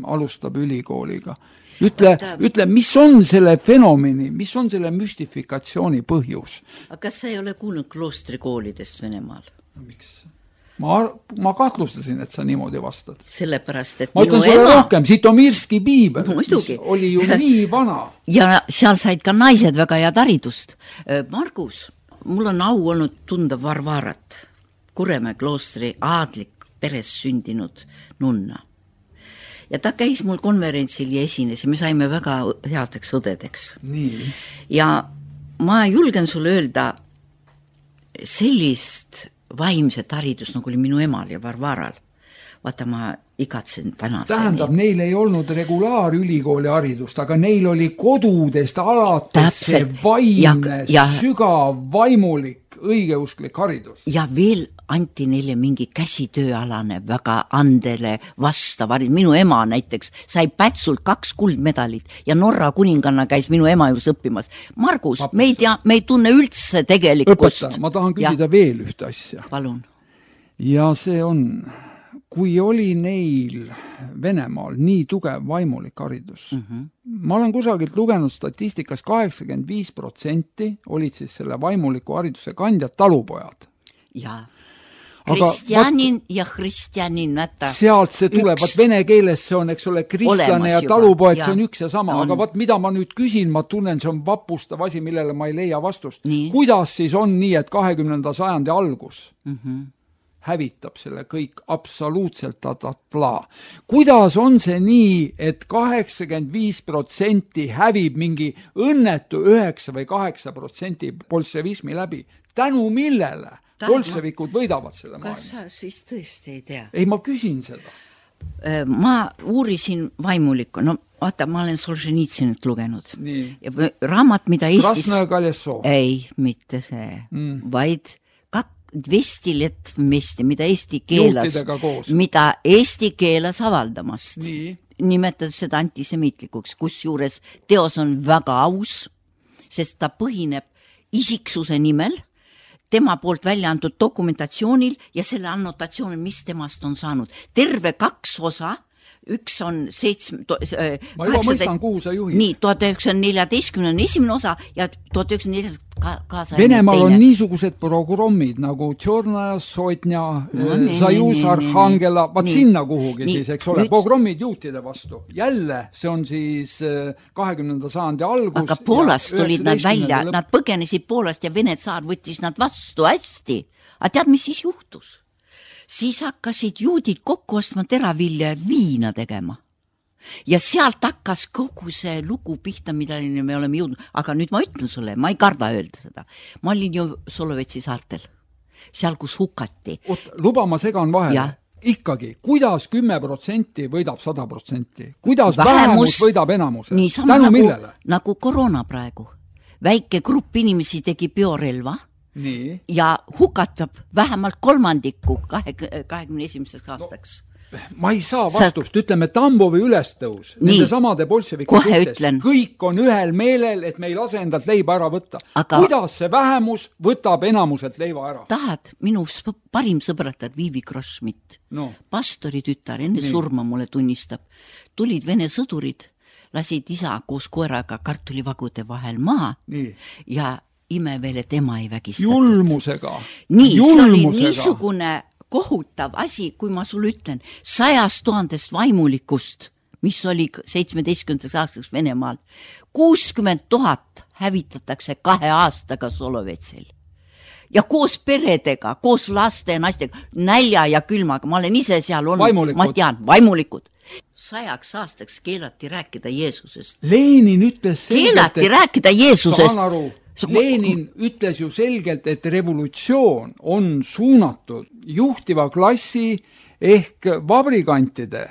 alustab ülikooliga. Ütle, mis on selle fenomeni, mis on selle müstifikatsiooni põhjus? Aga kas sa ei ole kuulnud kloostrikoolidest Venemaal? Miks? Ma kahtlustasin, et sa niimoodi vastad. Sellepärast, et ma ütlen sulle rohkem, Žitomirski piibel, mis oli ju nii vana. Ja seal said ka naised väga head haridust. Margus, mul on au olnud tunda Varvarat, Kuremäe kloostri aadlik peres sündinud nunna. Ja ta käis mul konverentsil ja esines ja me saime väga headeks õdedeks. Nii. Ja ma julgen sulle öelda sellist vaimset haridust, nagu oli minu emal ja Varvaral. Vaata, ma igatsen tänaseni. Tähendab, neil ei olnud regulaarülikooli haridust, aga neil oli kodudest alates see vaimne, sügav, vaimulik, õigeusklik haridus. Ja veel anti neile mingi käsitööalane väga andele vastav haridus. Minu ema näiteks sai Pätsult 2 kuldmedalit ja Norra kuninganna käis minu ema juures õppimas. Margus, me ei tunne üldse tegelikkust. Õpeta, ma tahan küsida veel ühte asja. Palun. Ja see on... Kui oli neil Venemaal nii tugev vaimulik haridus, ma olen kusagilt lugenud statistikas 85% olid siis selle vaimuliku hariduse kandjad talupojad. Ja, kristjanin ja kristjanin. Sealt see tuleb, vene keeles see on, eks ole, kristlane ja talupoeg, see on üks ja sama, aga mida ma nüüd küsin, ma tunnen, see on vapustav asi, millele ma ei leia vastust. Kuidas siis on nii, et 20. sajandi algus hävitab selle kõik absoluutselt tatatla. Kuidas on see nii, et 85% hävib mingi õnnetu 9 või 8% bolševismi läbi? Tänu millele bolševikud võidavad selle maailma? Kas sa siis tõesti ei tea? Ei, ma küsin seda. Ma uurisin vaimulikku. No vaata, ma olen Solženitsinit lugenud. Nii. Raamat, mida Eestis... Krasnõja Kaljasov. Ei, mitte see. Vaid 200 let vmesti, mida Eesti keelas avaldamast. Nii. Nimetades seda antisemiitlikuks, kusjuures teos on väga aus, sest ta põhineb isiksuse nimel, tema poolt välja antud dokumentatsioonil ja selle annotatsioonil, mis temast on saanud. Terve 2 osa, üks on 7... Ma juba mõistan, kuhu sa juhid. Nii, 1914 on esimene osa ja 1914 kaasa... Venemaal on niisugused programmid nagu Tšornaja, Sotnja, Sajus, Arhangela, sinna kuhugi siis, eks ole, programmid juutide vastu. Jälle, see on siis 20. sajandi algus. Aga Poolast tulid nad välja, nad põgenesid Poolast ja Vene tsaar võttis nad vastu hästi. Aga tead, mis siis juhtus? Siis hakkasid juudid kokku ostma teravilja viina tegema. Ja sealt hakkas kogu see lugu pihta, mida me oleme jõudnud. Aga nüüd ma ütlen sulle, ma ei karda öelda seda. Ma olin ju Solovetsi saartel, seal kus hukati. Luba ma segan vahele. Ikkagi, kuidas 10% võidab 100%? Kuidas vähemus võidab enamuse? Tänu millele? Nagu koroona praegu. Väike grupp inimesi tegi biorelva. Nii. Ja hukatab vähemalt 3% 21. aastaks. Ma ei saa vastust, ütleme Tambovi ülestõus, nende samade bolševiki suhtes, kõik on ühel meelel, et me ei lase endalt leiba ära võtta. Kuidas see vähemus võtab enamuselt leiva ära? Tahad, minu parim sõbratar Viivi Krossmitt, pastori tütar, enne surma mulle tunnistab, tulid Vene sõdurid, lasid isa koos koeraga kartulivagude vahel maha ja ime veel, et ema ei vägistatud. Julmusega. Nii, see oli niisugune kohutav asi, kui ma sulle ütlen, 100 000 vaimulikust, mis oli 17. aastaks Venemaal, 60 000 hävitatakse 2 aastaga Solovetsil. Ja koos peredega, koos laste ja naistega, nälja ja külmaga, ma olen ise seal olnud, ma tean, vaimulikud. 100 aastaks keelati rääkida Jeesusest. Lenin ütles selgelt, keelati rääkida Jeesusest. Saan aru. Lenin ütles ju selgelt, et revolutsioon on suunatud juhtiva klassi ehk vabrikantide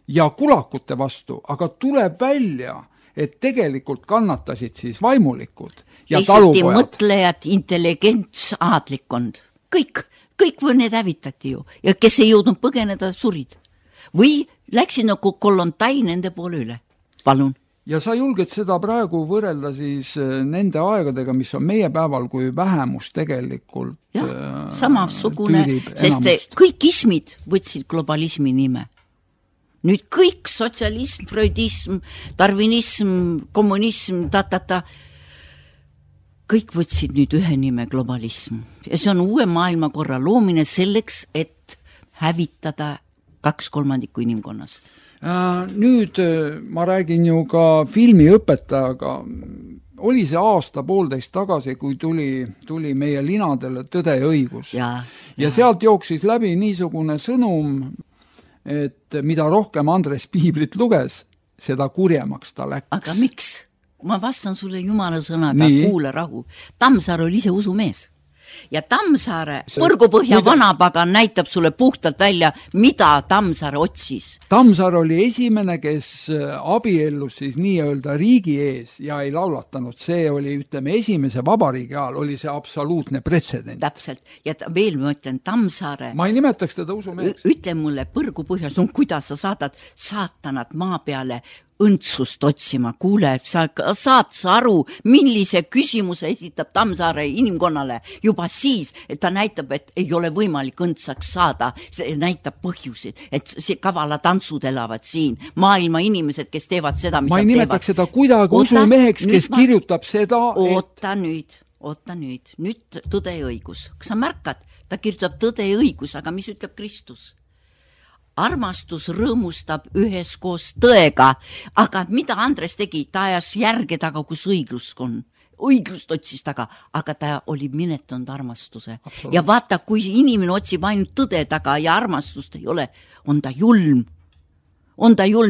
ja kulakute vastu, aga tuleb välja, et tegelikult kannatasid siis vaimulikud ja talupojad. Mõtlejad, intelligents, aadlikkond. Kõik need hävitati ju ja kes ei jõudnud põgeneda, surid. Või läksid nagu kolontai nende poole üle. Palun. Ja sa julged seda praegu võrrelda siis nende aegadega, mis on meie päeval, kui vähemus tegelikult samasugune, sest kõik ismid võtsid globalismi nime. Nüüd kõik sotsialism, freudism, darwinism, kommunism, kõik võtsid nüüd ühe nime globalism ja see on uue maailmakorra loomine selleks, et hävitada 2/3 inimkonnast. Nüüd ma räägin ju ka filmiõpetajaga, oli see aasta-poolteist tagasi, kui tuli meie linadele Tõde ja õigus. Ja sealt jooksis läbi niisugune sõnum, et mida rohkem Andres Piiblit luges, seda kurjemaks ta läks. Aga miks? Ma vastan sulle jumala sõnaga, kuule rahu. Tammsaare oli ise usumees. Ja Tammsaare Põrgupõhja vanapagan näitab sulle puhtalt välja, mida Tammsaare otsis. Tammsaare oli esimene, kes abiellus siis nii-öelda riigi ees ja ei laulatanud. See oli, ütleme, esimese vabariigi ajal oli see absoluutne pretsedent. Täpselt. Ja veel ma ütlen, Tammsaare... Ma ei nimetaks teda usumeheks. Ütle mulle Põrgupõhjas, kuidas sa saadad saatanat maa peale õndsust otsima. Kuule, sa saad aru, millise küsimuse esitab Tammsaare inimkonnale juba siis, et ta näitab, et ei ole võimalik õndsaks saada. See näitab põhjusid, et see kavala tantsud elavad siin. Maailma inimesed, kes teevad seda, mis ma ei nimetaks seda kuidagi usumeheks, kes kirjutab seda, Oota nüüd. Nüüd Tõde ja õigus. Kas sa märkad? Ta kirjutab Tõde ja õigus, aga mis ütleb Kristus? Armastus rõõmustab üheskoos tõega, aga mida Andres tegi? Ta ajas järge taga, kus õiglust on. Õiglust otsis taga, aga ta oli minetanud armastuse. Absoluut. Ja vaata, kui inimene otsib ainult tõde taga ja armastust ei ole, on ta julm.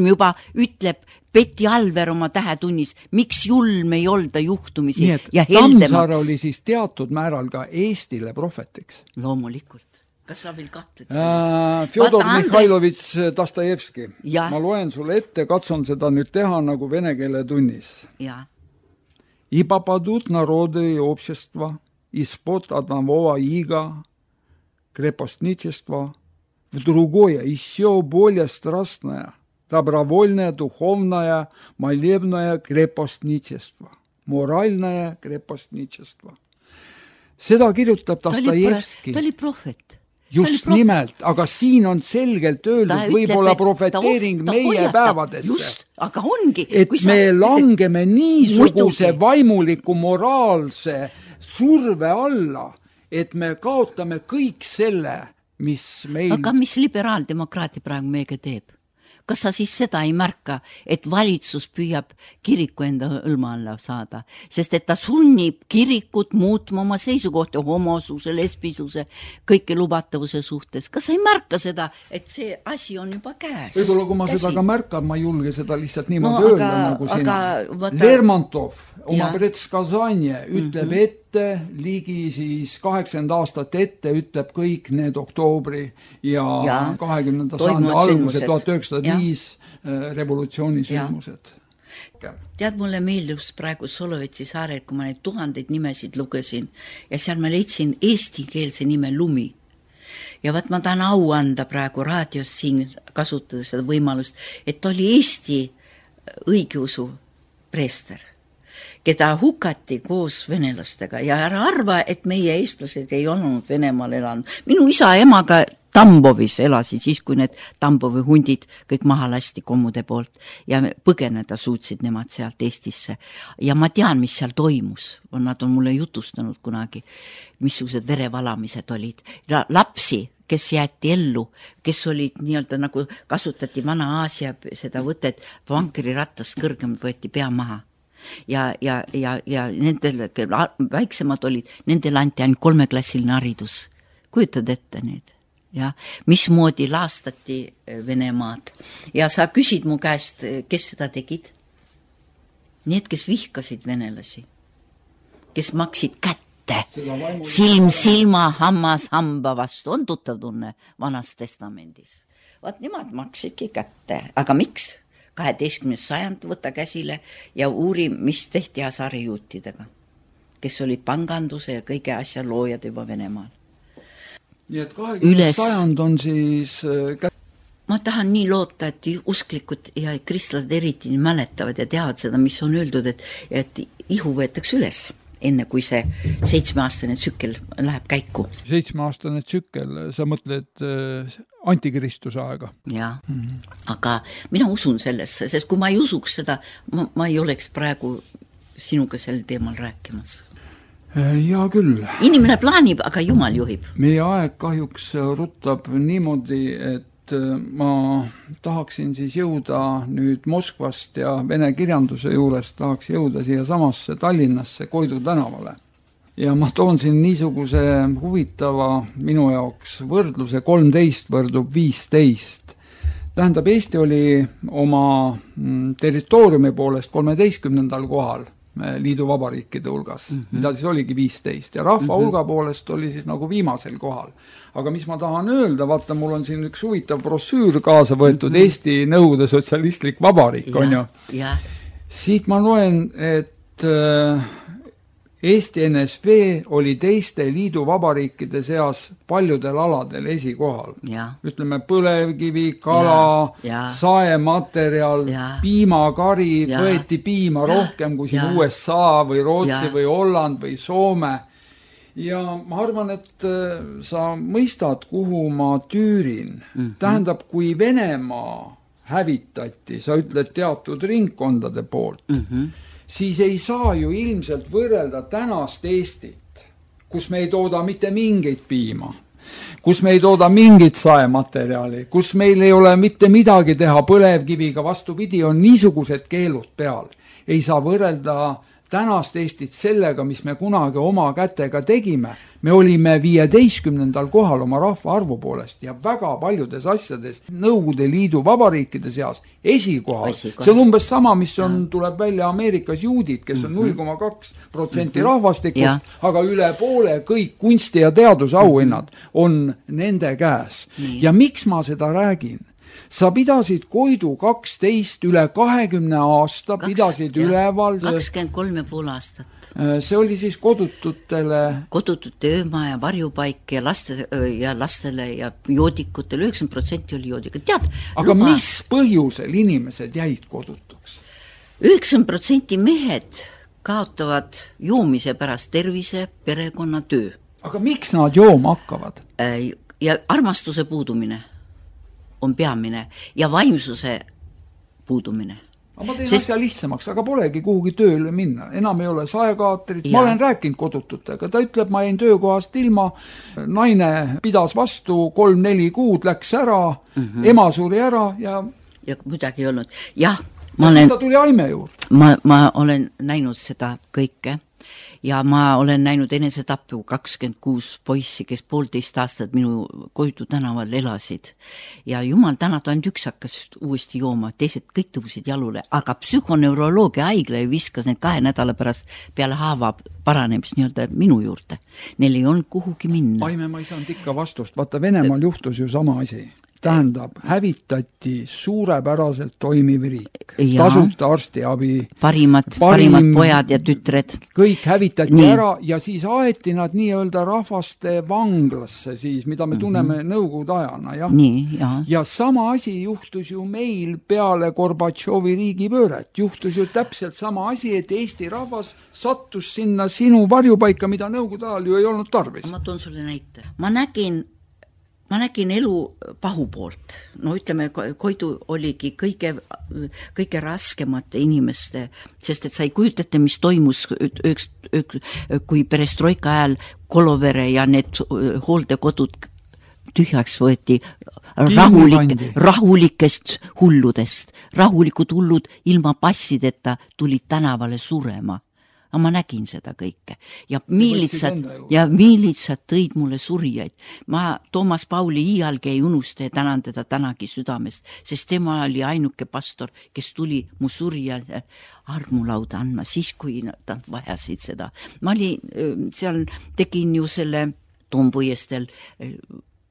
Juba ütleb Peti Alver oma Tähetunnis, miks julm ei olda juhtumisi ja heldemaks. Tammsaare oli siis teatud määral ka Eestile prohvetiks. Loomulikult. Kas sa veel kahtled selles? Fjodor Mihhailovitš Dostojevski. Ma loen sulle ette, katsun seda nüüd teha nagu vene keele tunnis. И попадут народы и общества из-под одного ига крепостничества в другое, еще более страстное, добровольное, духовное, молебное крепостничество, моральное крепостничество. Seda kirjutab Dostojevski. Ta oli prohvet. Just nimelt, aga siin on selgelt öeldud võib-olla profeteering meie päevadesse. Just, aga ongi. Et me langeme niisuguse vaimuliku moraalse surve alla, et me kaotame kõik selle, mis meil... Aga mis liberaaldemokraati praegu meiega teeb? Kas sa siis seda ei märka, et valitsus püüab kiriku enda hõlma alla saada, sest et ta sunnib kirikut muutma oma seisukohti homosuse, lesbisuse, kõike lubatavuse suhtes. Kas sa ei märka seda, et see asi on juba käes? Võib-olla, kui ma seda ka märkan, ma ei julge seda lihtsalt niimoodi öelda nagu sina. Lermontov oma predskazanje ütleb ette, ligi siis 80 aastat ette ütleb kõik need oktoobri ja 20. sajandi alguse 1905 revolutsioonisündmused. Tead, mulle meeldus praegu Solovetsi saarel, kui ma neid 1000 nimesid lugesin ja seal ma leidsin eestikeelse nime Lumi. Ja vaat ma tahan au anda praegu raadios siin kasutades seda võimalust, et ta oli Eesti õigeusu preester, keda hukati koos venelastega ja ära arva, et meie eestlased ei olnud Venemaal elanud. Minu isa ja emaga Tambovis elasid siis, kui need Tambovi hundid kõik maha lasti kommude poolt ja põgeneda suutsid nemad sealt Eestisse. Ja ma tean, mis seal toimus. Nad on mulle jutustanud kunagi, missugused verevalamised olid. Lapsi, kes jäeti ellu, kes olid nii-öelda nagu kasutati Vana-Aasia seda võtet, vankriratast kõrgemalt võeti pea maha. Ja nendel väiksemad olid, nendel anti ainult 3-klassiline haridus. Kujutad ette need? Ja mismoodi laastati Venemaad. Ja sa küsid mu käest, kes seda tegid? Need, kes vihkasid venelasi, kes maksid kätte, silm silma, hammas hamba vastu, on tuttav tunne Vanas testamendis. Vaat nemad maksidki kätte, aga miks? 12. sajand võtta käsile ja uuri, mis tehti asarijuutidega, kes olid panganduse ja kõige asja loojad juba Venemaal. Nii et 20. sajand on siis... Ma tahan nii loota, et usklikud ja kristlased eriti mäletavad ja teavad seda, mis on öeldud, et ihu võetakse üles, enne kui see 7-aastane tsükkel läheb käiku. 7-aastane tsükkel, sa mõtled antikristuse aega? Jah, aga mina usun sellesse, sest kui ma ei usuks seda, ma ei oleks praegu sinuga sel teemal rääkimas. Hea küll. Inimene plaanib, aga Jumal juhib. Meie aeg kahjuks ruttab niimoodi, et ma tahaksin siis jõuda nüüd Moskvast ja vene kirjanduse juures tahaks jõuda siia samasse Tallinnasse Koidu tänavale. Ja ma toon siin niisuguse huvitava minu jaoks võrdluse 13 võrdub 15. Tähendab, Eesti oli oma territooriumi poolest 13. kohal liidu vabariikide hulgas, mida siis oligi 15 ja rahva hulga poolest oli siis nagu viimasel kohal. Aga mis ma tahan öelda, vaata, mul on siin üks huvitav brossüür kaasa võetud Eesti Nõukogude Sotsialistlik Vabariik, on ju. Siit ma loen, et Eesti NSV oli teiste liidu vabariikide seas paljudel aladel esikohal. Ütleme, põlevkivi, kala, saematerjal, piimakari, võeti piima rohkem kui siin USA või Rootsi või Holland või Soome. Ja ma arvan, et sa mõistad, kuhu ma tüürin. Tähendab, kui Venemaa hävitati, sa ütled teatud ringkondade poolt, siis ei saa ju ilmselt võrrelda tänast Eestit, kus me ei tooda mitte mingit piima, kus me ei tooda mingit saematerjali, kus meil ei ole mitte midagi teha põlevkiviga, vastupidi, on niisugused keelud peal. Ei saa võrrelda tänast Eestit sellega, mis me kunagi oma kätega tegime. Me olime 15. kohal oma rahva arvu poolest ja väga paljudes asjades Nõukogude Liidu vabariikide seas esikohal. See on umbes sama, mis tuleb välja Ameerikas juudid, kes on 0,2% rahvastikust, aga üle poole kõik kunsti- ja teadusauhinnad on nende käes. Ja miks ma seda räägin? Sa pidasid Koidu 12 üle 20 aasta, pidasid üleval 23,5 aastat. See oli siis kodutute ööma ja varjupaik ja lastele ja joodikutele, 90% oli joodikut. Tead, aga mis põhjusel inimesed jäid kodutuks? 90% mehed kaotavad joomise pärast tervise, perekonna, töö. Aga miks nad jooma hakkavad? Ja armastuse puudumine on peamine ja vaimsuse puudumine. Ma teen asja lihtsamaks, aga polegi kuhugi tööle minna. Enam ei ole saekaatrit. Ma olen rääkinud kodututega. Ta ütleb, ma jäin töökohast ilma. Naine pidas vastu 3-4 kuud, läks ära, ema suri ära ja midagi ei olnud. Jah, ta tuli aime juurde. Ma olen näinud seda kõike. Ja ma olen näinud enesetappu 26 poissi, kes 1,5 aastat minu Koidu tänaval elasid. Ja jumal tänatud, ainult üks hakkas uuesti jooma, teised kõik tõusid jalule. Aga psühhoneuroloogia haigla viskas need 2 nädala pärast peale haava paranemist nii-öelda minu juurde. Neil ei olnud kuhugi minna. Aime, ma ei saanud ikka vastust. Vaata, Venemaal juhtus ju sama asi. Tähendab, hävitati suurepäraselt toimiv riik. Tasuta arstiabi. Parimad pojad ja tütred. Kõik hävitati ära ja siis aeti nad nii-öelda rahvaste vanglasse siis, mida me tunneme Nõukogude ajana. Ja sama asi juhtus ju meil peale Gorbatšovi riigipööret. Juhtus ju täpselt sama asi, et Eesti rahvas sattus sinna sinu varjupaika, mida Nõukogude ajal ju ei olnud tarvis. Ma toon sulle näite. Ma nägin elu pahu poolt. No ütleme, Koidu oligi kõige raskemate inimeste, sest et sa ei kujutate, mis toimus, kui perestroika ajal Kolovere ja need hooldekodud tühjaks võeti rahulikest hulludest. Rahulikud hullud ilma passideta tulid tänavale surema. Aga ma nägin seda kõike. Ja miilitsad tõid mulle surijaid. Ma Toomas Pauli iialgi ei unusta ja tänan teda tänagi südamest, sest tema oli ainuke pastor, kes tuli mu surijale armulauda andma, siis kui nad vajasid seda. Ma seal tegin ju selle Toompuiestel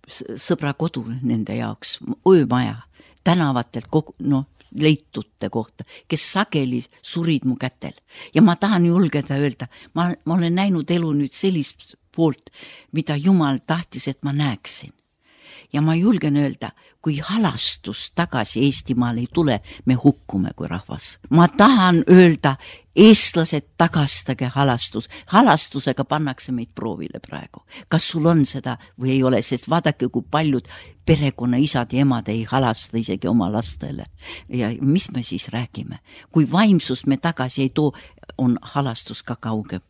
sõbra kodu nende jaoks, öömaja, tänavatelt leitute kohta, kes sageli surid mu kätel. Ja ma tahan julgeda öelda, ma olen näinud elu nüüd sellist poolt, mida Jumal tahtis, et ma näeksin. Ja ma julgen öelda, kui halastus tagasi Eestimaal ei tule, me hukkume kui rahvas. Ma tahan öelda, eestlased, tagastage halastus. Halastusega pannakse meid proovile praegu. Kas sul on seda või ei ole, sest vaadake, kui paljud perekonna isad ja emad ei halasta isegi oma lastele. Ja mis me siis räägime? Kui vaimsust me tagasi ei too, on halastus ka kaugem.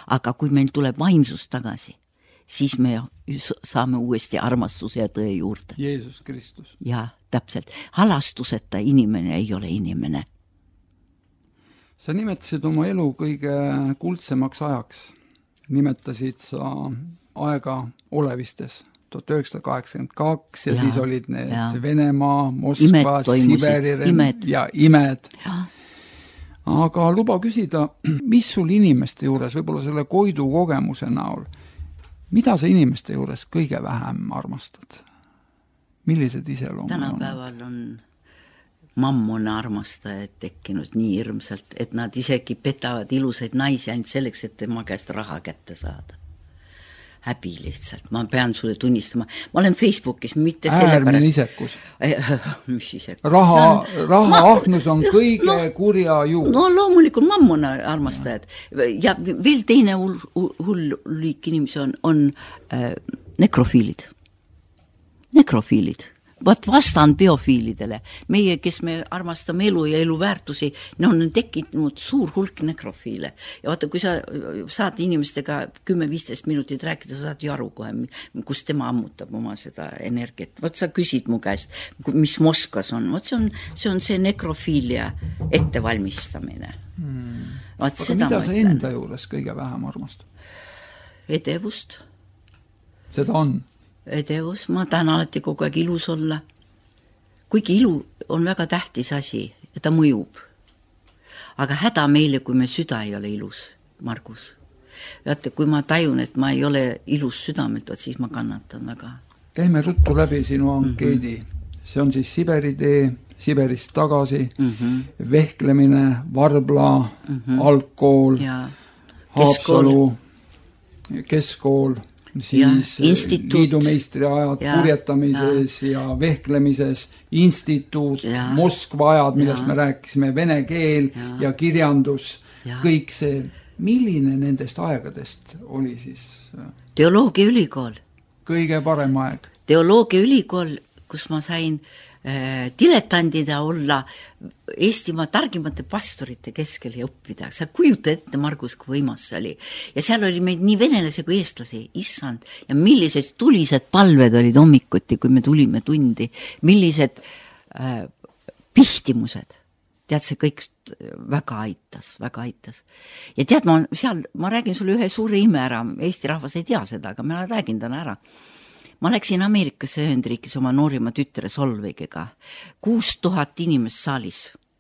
aga kui meil tuleb vaimsus tagasi, siis me saame uuesti armastuse ja tõe juurde. Jeesus Kristus. Ja, täpselt. Halastuseta inimene ei ole inimene. Sa nimetasid oma elu kõige kuldsemaks ajaks. Nimetasid sa aega Olevistes 1982 ja siis olid need Venemaa, Moskva, Siberi ja imed. Ja. Aga luba küsida, mis sul inimeste juures, võib-olla selle Koidu kogemuse näol, mida sa inimeste juures kõige vähem armastad? Millised iseloomud on? Tänapäeval on mammuna armastajaid tekkinud nii hirmsalt, et nad isegi petavad ilusaid naisi ainult selleks, et tema käest raha kätte saada. Häbi lihtsalt, ma pean sulle tunnistama. Ma olen Facebookis, mitte äärmine isekus. Mis isekus? Raha ahnus on kõige kurja juur. No loomulikult mammuna armastajad. Ja veel teine hull liik inimesi on nekrofiilid. Nekrofiilid. Vaat vastand biofiilidele. Meie, kes me armastame elu ja elu väärtusi, on tekkinud suur hulk nekrofiile. Ja vaata, kui sa saad inimestega 10-15 minutit rääkida, sa saad ju aru kohe, kus tema ammutab oma seda energiat. Vaat sa küsid mu käest, mis Moskvas on. Vaat see on see nekrofiilia ettevalmistamine. Aga mida sa enda juures kõige vähem armastad? Edevust. Seda on? Edevus, ma tahan alati kogu aeg ilus olla. Kuigi ilu on väga tähtis asi ja ta mõjub. Aga häda meile, kui me süda ei ole ilus, Margus. Vaata, kui ma tajun, et ma ei ole ilus südamelt, siis ma kannatan väga. Käime ruttu läbi sinu ankeedi. See on siis Siberi tee, Siberist tagasi, vehklemine, Varbla, algkool, Haapsalu, keskkool, siis liidumeistri ajad purjetamises ja vehklemises, instituut, Moskva ajad, millest me rääkisime, vene keel ja kirjandus, kõik see. Milline nendest aegadest oli siis? Teoloogia ülikool. Kõige parem aeg. Teoloogia ülikool, kus ma sain diletandida olla Eestimaa targimate pastorite keskel ja õppida. Sa kujuta ette, Margus, kui võimas see oli. Ja seal oli meid nii venelasi kui eestlasi, issand. Ja millised tulised palved olid hommikuti, kui me tulime tundi. Millised pihtimused. Tead, see kõik väga aitas. Ja tead, ma räägin sulle ühe suure ime ära. Eesti rahvas ei tea seda, aga ma räägin täna ära. Ma läksin Ameerikasse Ühendriikis oma noorima tütre Solveigiga. 6000 inimest saalis,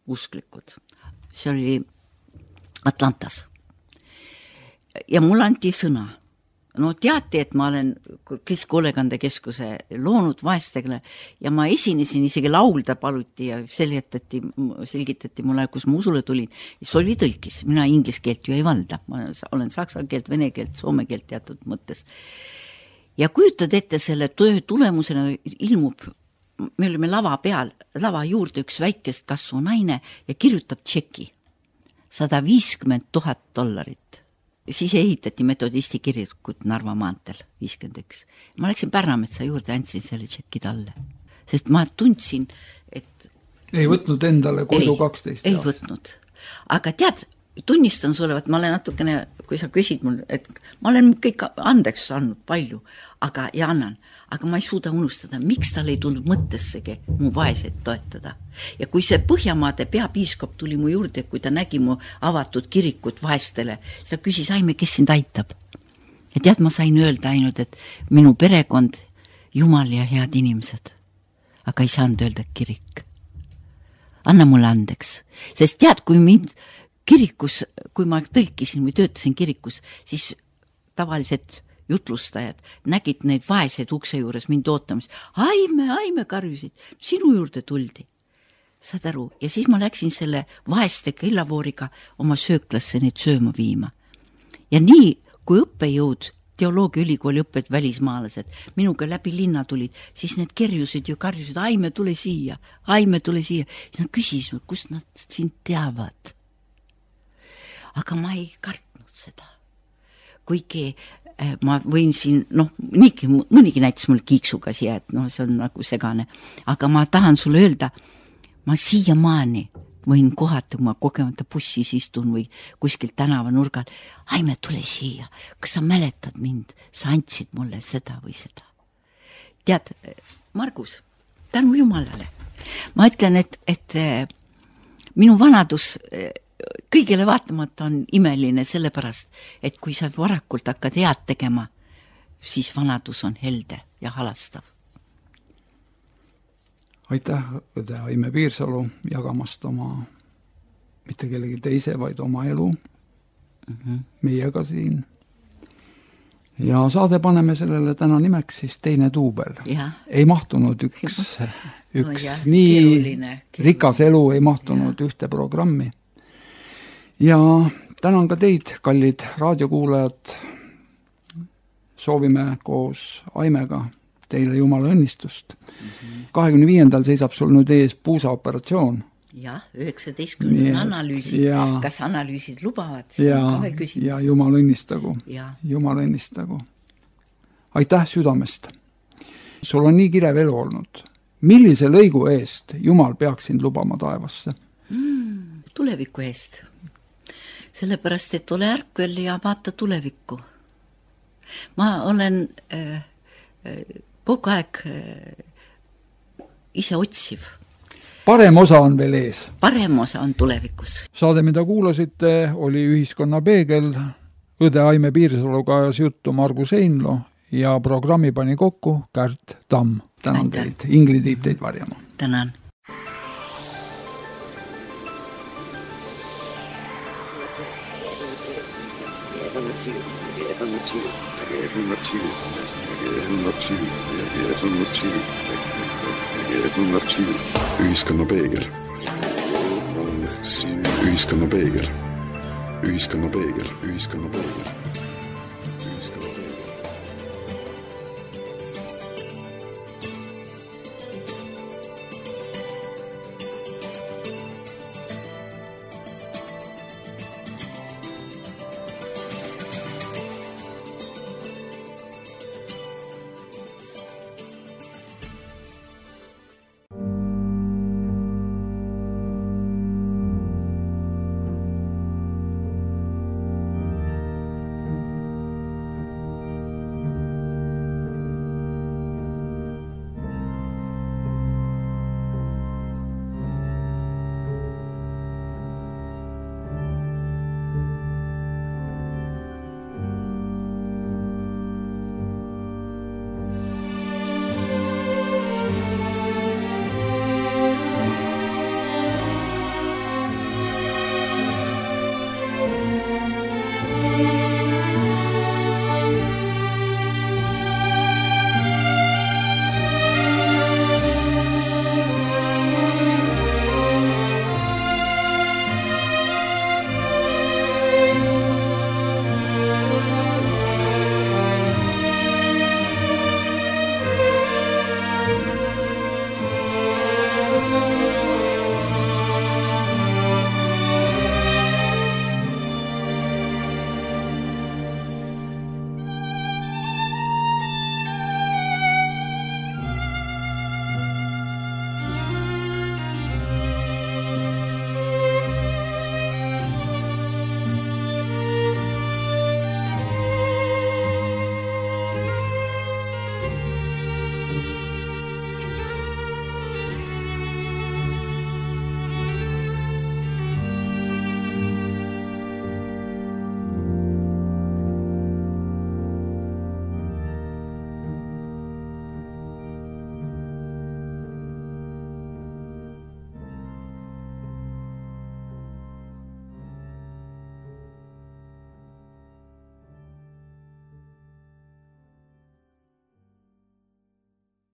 usklikud. See oli Atlantas. Ja mul anti sõna. No teati, et ma olen Keskkoolekandekeskuse loonud vaestele ja ma esinesin, isegi laulda paluti ja selgitati mulle, kus ma usule tulin. Solvi tõlkis. Mina inglis keelt ju ei valda. Ma olen saksa keelt, vene keelt, soome keelt teatud mõttes. Ja kujutad ette selle töö tulemusena ilmub, me olime lava peal, lava juurde üks väikest kasvu naine ja kirjutab tšeki. $150,000. Siis ehitati metodisti kirikut Narva maantel, 51. Ma läksin Pärnametsa juurde, andsin selle tšeki talle. Sest ma tundsin, et... Ei võtnud endale Koidu 12. Ei võtnud. Aga tead, tunnistan sulle, et ma olen natukene, kui sa küsid mul, et ma olen kõik andeks andnud palju, aga ja annan. Aga ma ei suuda unustada, miks tal ei tulnud mõttessegi mu vaeseid toetada. Ja kui see Põhjamaade peapiiskop tuli mu juurde, kui ta nägi mu avatud kirikut vaestele, sa küsis, Aime, kes sind aitab? Ja tead, ma sain öelda ainult, et minu perekond, Jumal ja head inimesed. Aga ei saanud öelda kirik. Anna mulle andeks. Sest tead, kui mind kirikus, kui ma tõlkisin või töötasin kirikus, siis tavaliselt jutlustajad nägid neid vaeseid ukse juures mind ootamas. Aime karjusid, sinu juurde tuldi. Saad aru? Ja siis ma läksin selle vaeste kellavooriga oma sööklasse neid sööma viima. Ja nii, kui õppejõud, teoloogia ülikooli õpped välismaalased, minuga läbi linna tulid, siis need kerjusid ju karjusid, Aime, tule siia. Siis nad küsisid, kust nad sind teavad. Aga ma ei kartnud seda. Kuigi ma võin siin, mõnigi näitas mul kiiksuga siia, et see on nagu segane. Aga ma tahan sulle öelda, ma siiamaani võin kohata, kui ma kogemata bussis istun või kuskil tänavanurgal. Aime, tule siia, kas sa mäletad mind? Sa andsid mulle seda või seda. Tead, Margus, tänu Jumalale. Ma ütlen, et minu vanadus kõigile vaatamata on imeline sellepärast, et kui sa varakult hakkad head tegema, siis vanadus on helde ja halastav. Aitäh, õde Aime Piirsalu, jagamast oma, mitte kellegi teise, vaid oma elu meiega siin. Ja saade paneme sellele täna nimeks siis Teine duubel. Ei mahtunud üks nii keeruline. Rikas elu ei mahtunud ühte programmi. Ja tänan ka teid, kallid raadiokuulajad. Soovime koos Aimega teile Jumala õnnistust. 25. seisab sul nüüd ees puusaoperatsioon. Jah, 19. analüüsid. Kas analüüsid lubavad? Ja Jumal õnnistagu. Jumal õnnistagu. Aitäh südamest. Sul on nii kirev elu olnud. Millise lõigu eest Jumal peaks sind lubama taevasse? Tuleviku eest. Sellepärast, et ole ärkvel ja vaata tulevikku. Ma olen kogu aeg ise otsiv. Parem osa on veel ees. Parem osa on tulevikus. Saade, mida kuulasite, oli Ühiskonna peegel. Õde Aime Piirsaluga ajas juttu Margus Einlo ja programmi pani kokku Kärt Tamm. Tänan teid. Ingrid viib teid varjama. Tänan. Ühiskonna peegel. Ühiskonna peegel. Ühiskonna peegel. Ühiskonna peegel.